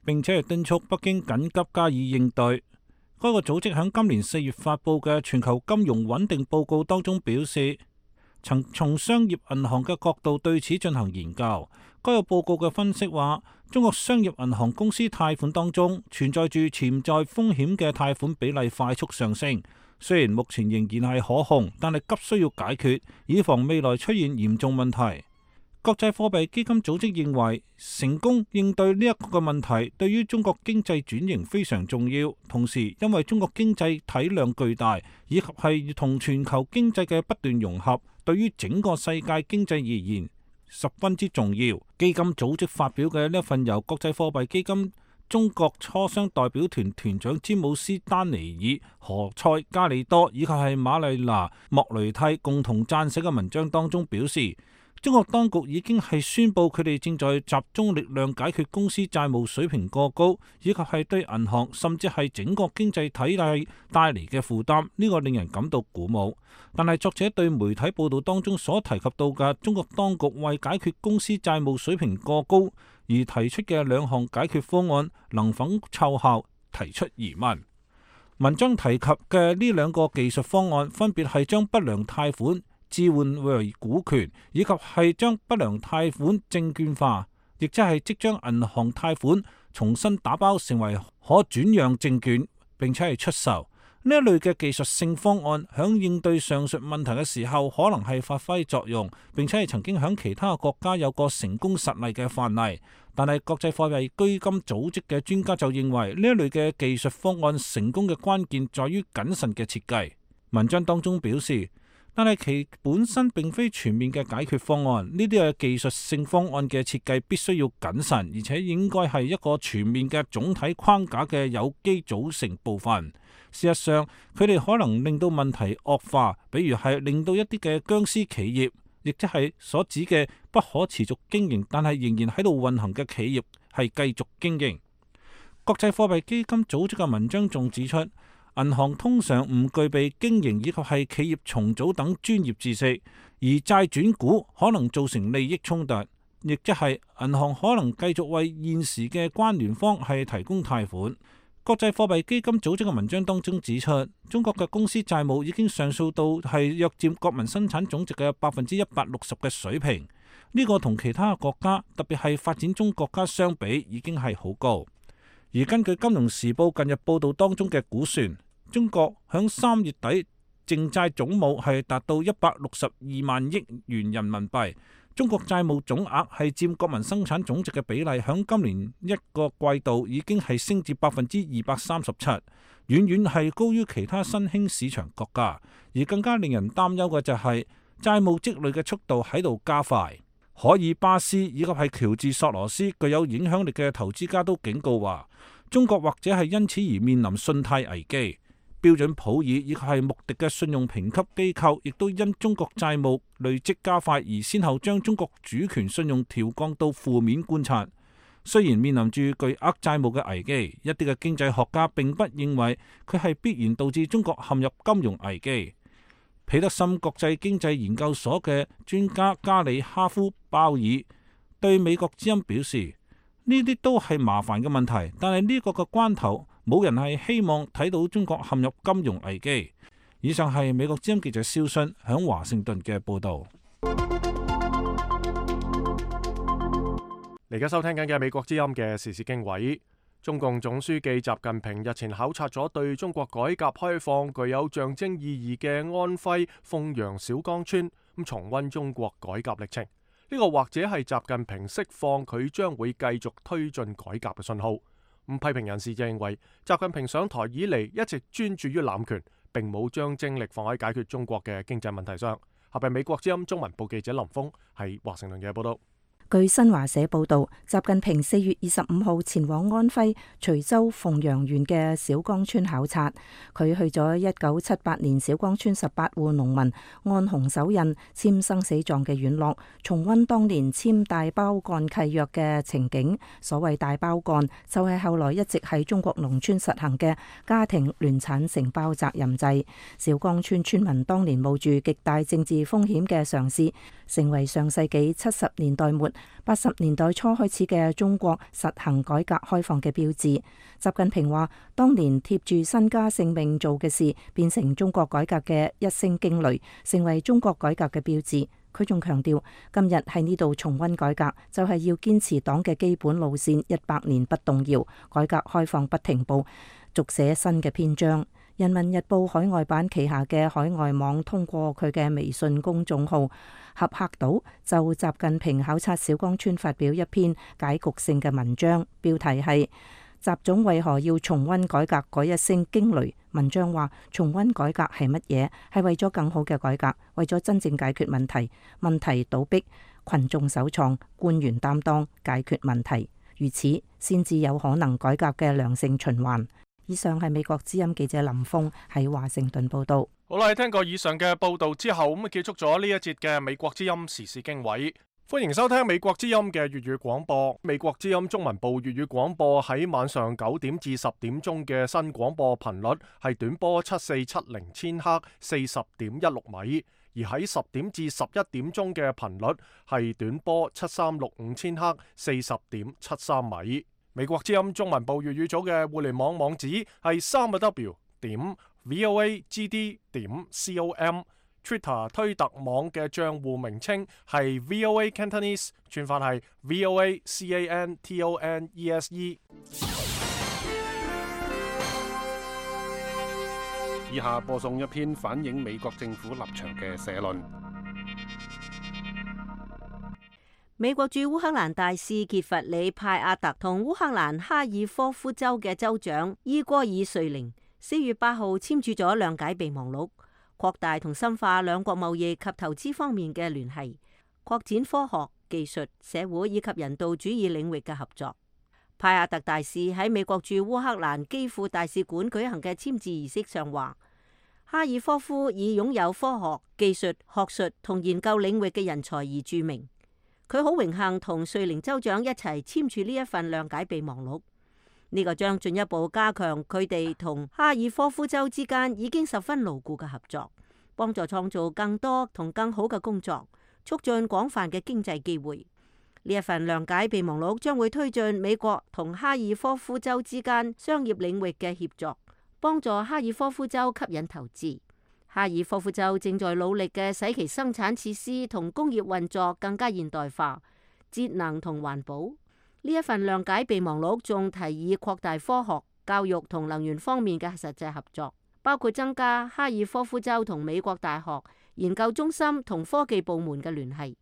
並且係敦促北京緊急加以應對。該個組織喺今年4月發布嘅全球金融穩定報告當中表示，曾從商業銀行嘅角度對此進行研究。該個報告嘅分析話，中國商業銀行公司貸款當中存在住潛在風險嘅貸款比例快速上升。雖然目前仍然係可控，但係急需要解決，以防未來出現嚴重問題。國際貨幣基金組織認為，成功應對呢一個問題對於中國經濟轉型非常重要。同時，因為中國經濟體量巨大，以及係同全球經濟嘅不斷融合，對於整個世界經濟而言十分之重要。基金組織發表嘅呢一份由國際貨幣基金中國磋商代表團團長詹姆斯丹尼爾、何塞加里多以及係瑪麗娜莫雷蒂共同撰寫嘅文章當中表示，中國當局已經係宣布佢哋正在集中力量解決公司債務水平過高，以及係對銀行甚至係整個經濟體系帶嚟嘅負擔。呢個令人感到鼓舞。但係作者對媒體報道當中所提及到嘅中國當局為解決公司債務水平過高而提出嘅2項解決方案能否奏效提出疑問。文章提及嘅呢2個技術方案分別係將不良貸款置換為股權，以及係將不良貸款證券化，亦即將銀行貸款重新打包成為可轉讓證券，並且係出售。呢一類嘅技術性方案響應對上述問題嘅時候，可能係發揮作用，並且係曾經響其他國家有過成功實例嘅範例。但係國際貨幣基金組織嘅專家就認為，呢一類嘅技術方案成功嘅關鍵在於謹慎嘅設計。文章當中表示，但係其本身並非全面嘅解決方案，呢啲嘅技術性方案嘅設計必須要謹慎，而且應該係一個全面嘅總體框架嘅有機組成部分。事實上，佢哋可能令到問題惡化，比如係令到一啲嘅僵屍企業，亦即係所指嘅不可持續經營，但係仍然喺度運行嘅企業係繼續經營。國際貨幣基金組織嘅文章仲指出，銀行通常唔具備經營以及係企業重組等專業知識，而債轉股可能造成利益衝突，亦即係銀行可能繼續為現時嘅關聯方係提供貸款。國際貨幣基金組織嘅文章當中指出，中國嘅公司債務已經上訴到係約佔國民生產總值嘅160%嘅水平，呢個同其他國家，特別係發展中國家相比，已經係好高。而根據《金融時報》近日報道當中嘅估算，中國響3月底淨債總額係達到162萬億元人民幣。中國債務總額係佔國民生產總值嘅比例，響今年一個季度已經係升至237%，遠遠係高於其他新興市場國家。而更加令人擔憂嘅就係債務積累嘅速度喺度加快。海爾巴斯以及係喬治索羅斯具有影響力嘅投資家都警告話，中國或者係因此而面臨信貸危機。標準普爾以及係穆迪嘅信用評級機構，亦都因中國債務累積加快而先後將中國主權信用調降到負面觀察。雖然面臨住巨額債務嘅危機，一啲嘅經濟學家並不認為佢係必然導致中國陷入金融危機。彼得森國際經濟研究所嘅專家加里哈夫鮑爾對美國之音表示，呢啲都係麻煩嘅問題，但係呢個嘅關頭，冇人係希望睇到中國陷入金融危機。以上係美國之音記者蕭信響華盛頓嘅報導。而家收聽緊嘅美國之音嘅時事經緯，中共總書記習近平日前考察咗對中國改革開放具有象徵意義嘅安徽鳳陽小崗村，咁重溫中國改革歷程。呢個或者係習近平釋放佢將會繼續推進改革嘅信號。批評人士就認為，習近平上台以嚟一直專注於攬權，並冇將精力放喺解決中國嘅經濟問題上。下邊美國之音中文部記者林峰喺華盛頓嘅報道。據新華社報道，習近平4月25號前往安徽徐州鳳陽縣嘅小崗村考察。佢去咗1978年小崗村18戶農民按紅手印簽生死狀嘅院落，重溫當年簽大包幹契約嘅情景。所謂大包幹，就係後來一直喺中國農村實行嘅家庭聯產承包責任制。小崗村村民當年冒住極大政治風險嘅嘗試，成為上世紀70年代末80年代初開始嘅中國實行改革開放嘅標誌。習近平話，當年貼住身家性命做嘅事，變成中國改革嘅一聲驚雷，成為中國改革嘅標誌。佢仲強調，今日喺呢度重溫改革，就係要堅持黨嘅基本路線100年不動搖，改革開放不停步，續寫新嘅篇章。人民日報海外版旗下嘅海外網通過佢嘅微信公眾號合客島，就習近平考察小崗村發表一篇解局性嘅文章，標題係習總為何要重溫改革嗰一聲驚雷。文章話，重溫改革係乜嘢？係為咗更好嘅改革，為咗真正解決問題，問題倒逼群眾首創，官員擔當，解決問題，如此先至有可能改革嘅良性循環。以上係美國之音記者林峰喺華盛頓報道。好啦，聽過以上嘅報道之後，咁結束咗呢一節嘅美國之音時事經緯。歡迎收聽美國之音嘅粵語廣播。美國之音中文部粵語廣播喺晚上9點至10點鐘嘅新廣播頻率係短波7470千赫40.16米，而喺10點至11點鐘嘅頻率係短波7365千赫40.73米。美國之音中文部粵語組嘅互聯網網址係3w.voagd.com，Twitter 推特網嘅賬戶名稱係 VOA Cantonese， 串法係 VOA CANTONESE。以下播送一篇反映美國政府立場嘅社論。美國駐烏克蘭大使傑弗里派亞特同烏克蘭哈爾科夫州嘅州長伊戈爾瑞寧4月8號簽署咗諒解備忘錄，擴大同深化兩國貿易及投資方面嘅聯繫，擴展科學、技術、社會以及人道主義領域嘅合作。派亞特大使喺美國駐烏克蘭基輔大使館舉行嘅簽字儀式上話，哈爾科夫以擁有科學、技術、學術同研究領域嘅人才而著名。佢好榮幸同瑞寧州長一齊簽署呢一份諒解備忘錄，呢個將進一步加強佢哋同哈爾科夫州之間已經十分牢固嘅合作，幫助創造更多同更好嘅工作，促進廣泛嘅經濟機會。呢一份諒解備忘錄將會推進美國同哈爾科夫州之間商業領域嘅協作，幫助哈爾科夫州吸引投資。哈爾科夫州正在努力嘅使其生產設施同工業運作更加現代化、節能同環保。呢一份諒解備忘錄仲提議擴大科學、教育同能源方面嘅實際合作，包括增加哈爾科夫州同美國大學研究中心同科技部門嘅聯繫。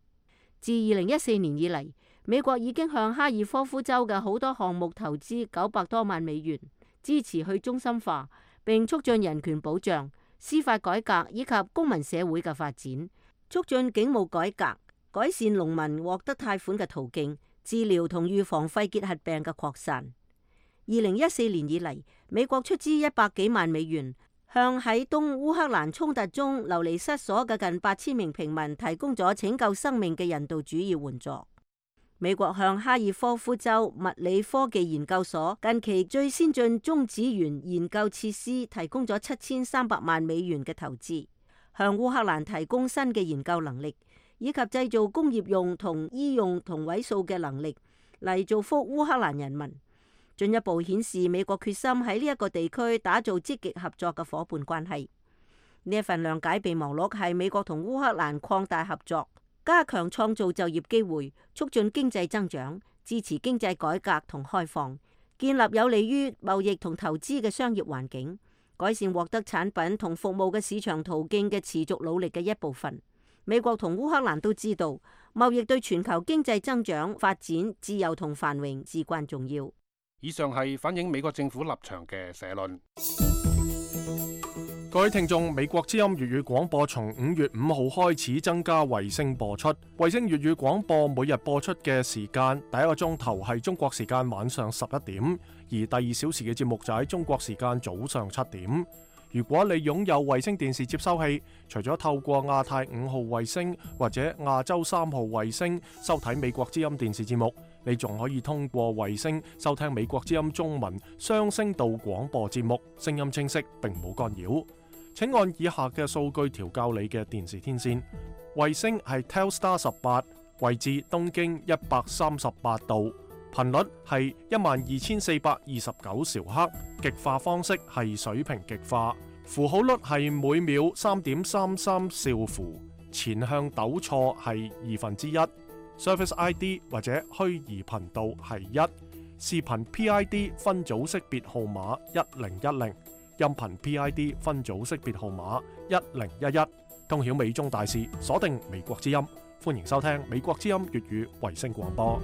自2014年以嚟，美國已經向哈爾科夫州嘅好多項目投資900多萬美元，支持去中心化，並促進人權保障、司法改革以及公民社會嘅發展，促進警務改革，改善農民獲得貸款嘅途徑，治療同預防肺結核病嘅擴散。2014年以嚟，美國出資100幾萬美元，向喺東烏克蘭衝突中流離失所嘅近8000名平民提供咗拯救生命嘅人道主義援助。美國向哈爾科夫州物理科技研究所近期最先進中子源研究設施提供咗7300萬美元嘅投資，向烏克蘭提供新嘅研究能力，以及製造工業用同醫用同位素嘅能力嚟造福烏克蘭人民，進一步顯示美國決心喺呢一個地區打造積極合作嘅夥伴關係。呢一份諒解備忘錄係美國同烏克蘭擴大合作，加強創造就業機會，促進經濟增長，支持經濟改革同開放，建立有利於貿易同投資嘅商業環境，改善獲得產品同服務嘅市場途徑嘅持續努力嘅一部分。美國同烏克蘭都知道，貿易對全球經濟增長、發展、自由同繁榮至關重要。以上係反映美國政府立場嘅社論。各位聽眾，美國之音粵語廣播從5月5號開始增加衛星播出。衛星粵語廣播每日播出嘅時間，第一個鐘頭係中國時間晚上11點，而第2小時嘅節目就喺中國時間早上7點。如果你擁有衛星電視接收器，除咗透過亞太5號衛星或者亞洲3號衛星收睇美國之音電視節目，你仲可以通過衛星收聽美國之音中文雙聲道廣播節目，聲音清晰並冇干擾。請按以下嘅數據調校你嘅電視天線。衛星係 Telstar 18，位置東經138度，頻率係12429兆赫，極化方式係水平極化，符號率係每秒3.33兆符，前向抖錯係1/2。Service ID 或者虛擬頻道係1，視頻 PID 分組識別號碼1010，音頻 PID 分組識別號碼1011，通曉美中大事，鎖定美國之音，歡迎收聽美國之音粵語衛星廣播。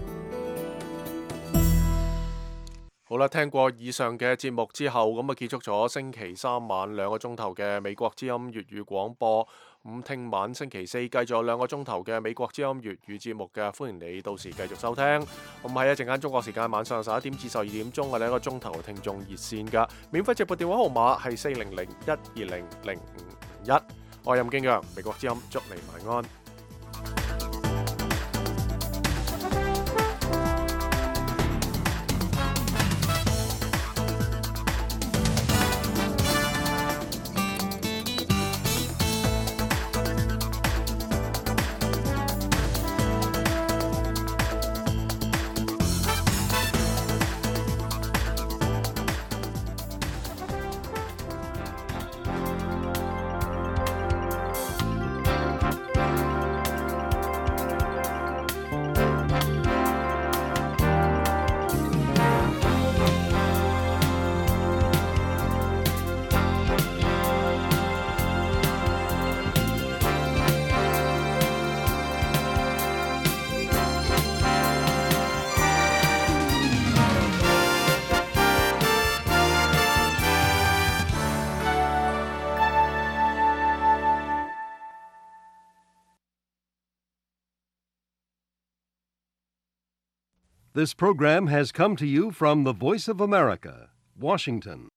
好啦，聽過以上嘅節目之後，咁啊結束咗星期三晚2個鐘頭嘅美國之音粵語廣播。咁聽晚星期四繼續有2個鐘頭嘅美國之音粵語節目嘅，歡迎你到時繼續收聽。咁喺一陣間中國時間晚上11點至12點鐘嘅2個鐘頭嘅聽眾熱線嘅免費直播電話號碼係400-120-0551。我係任敬陽，美國之音祝你晚安。This program has come to you from the Voice of America, Washington.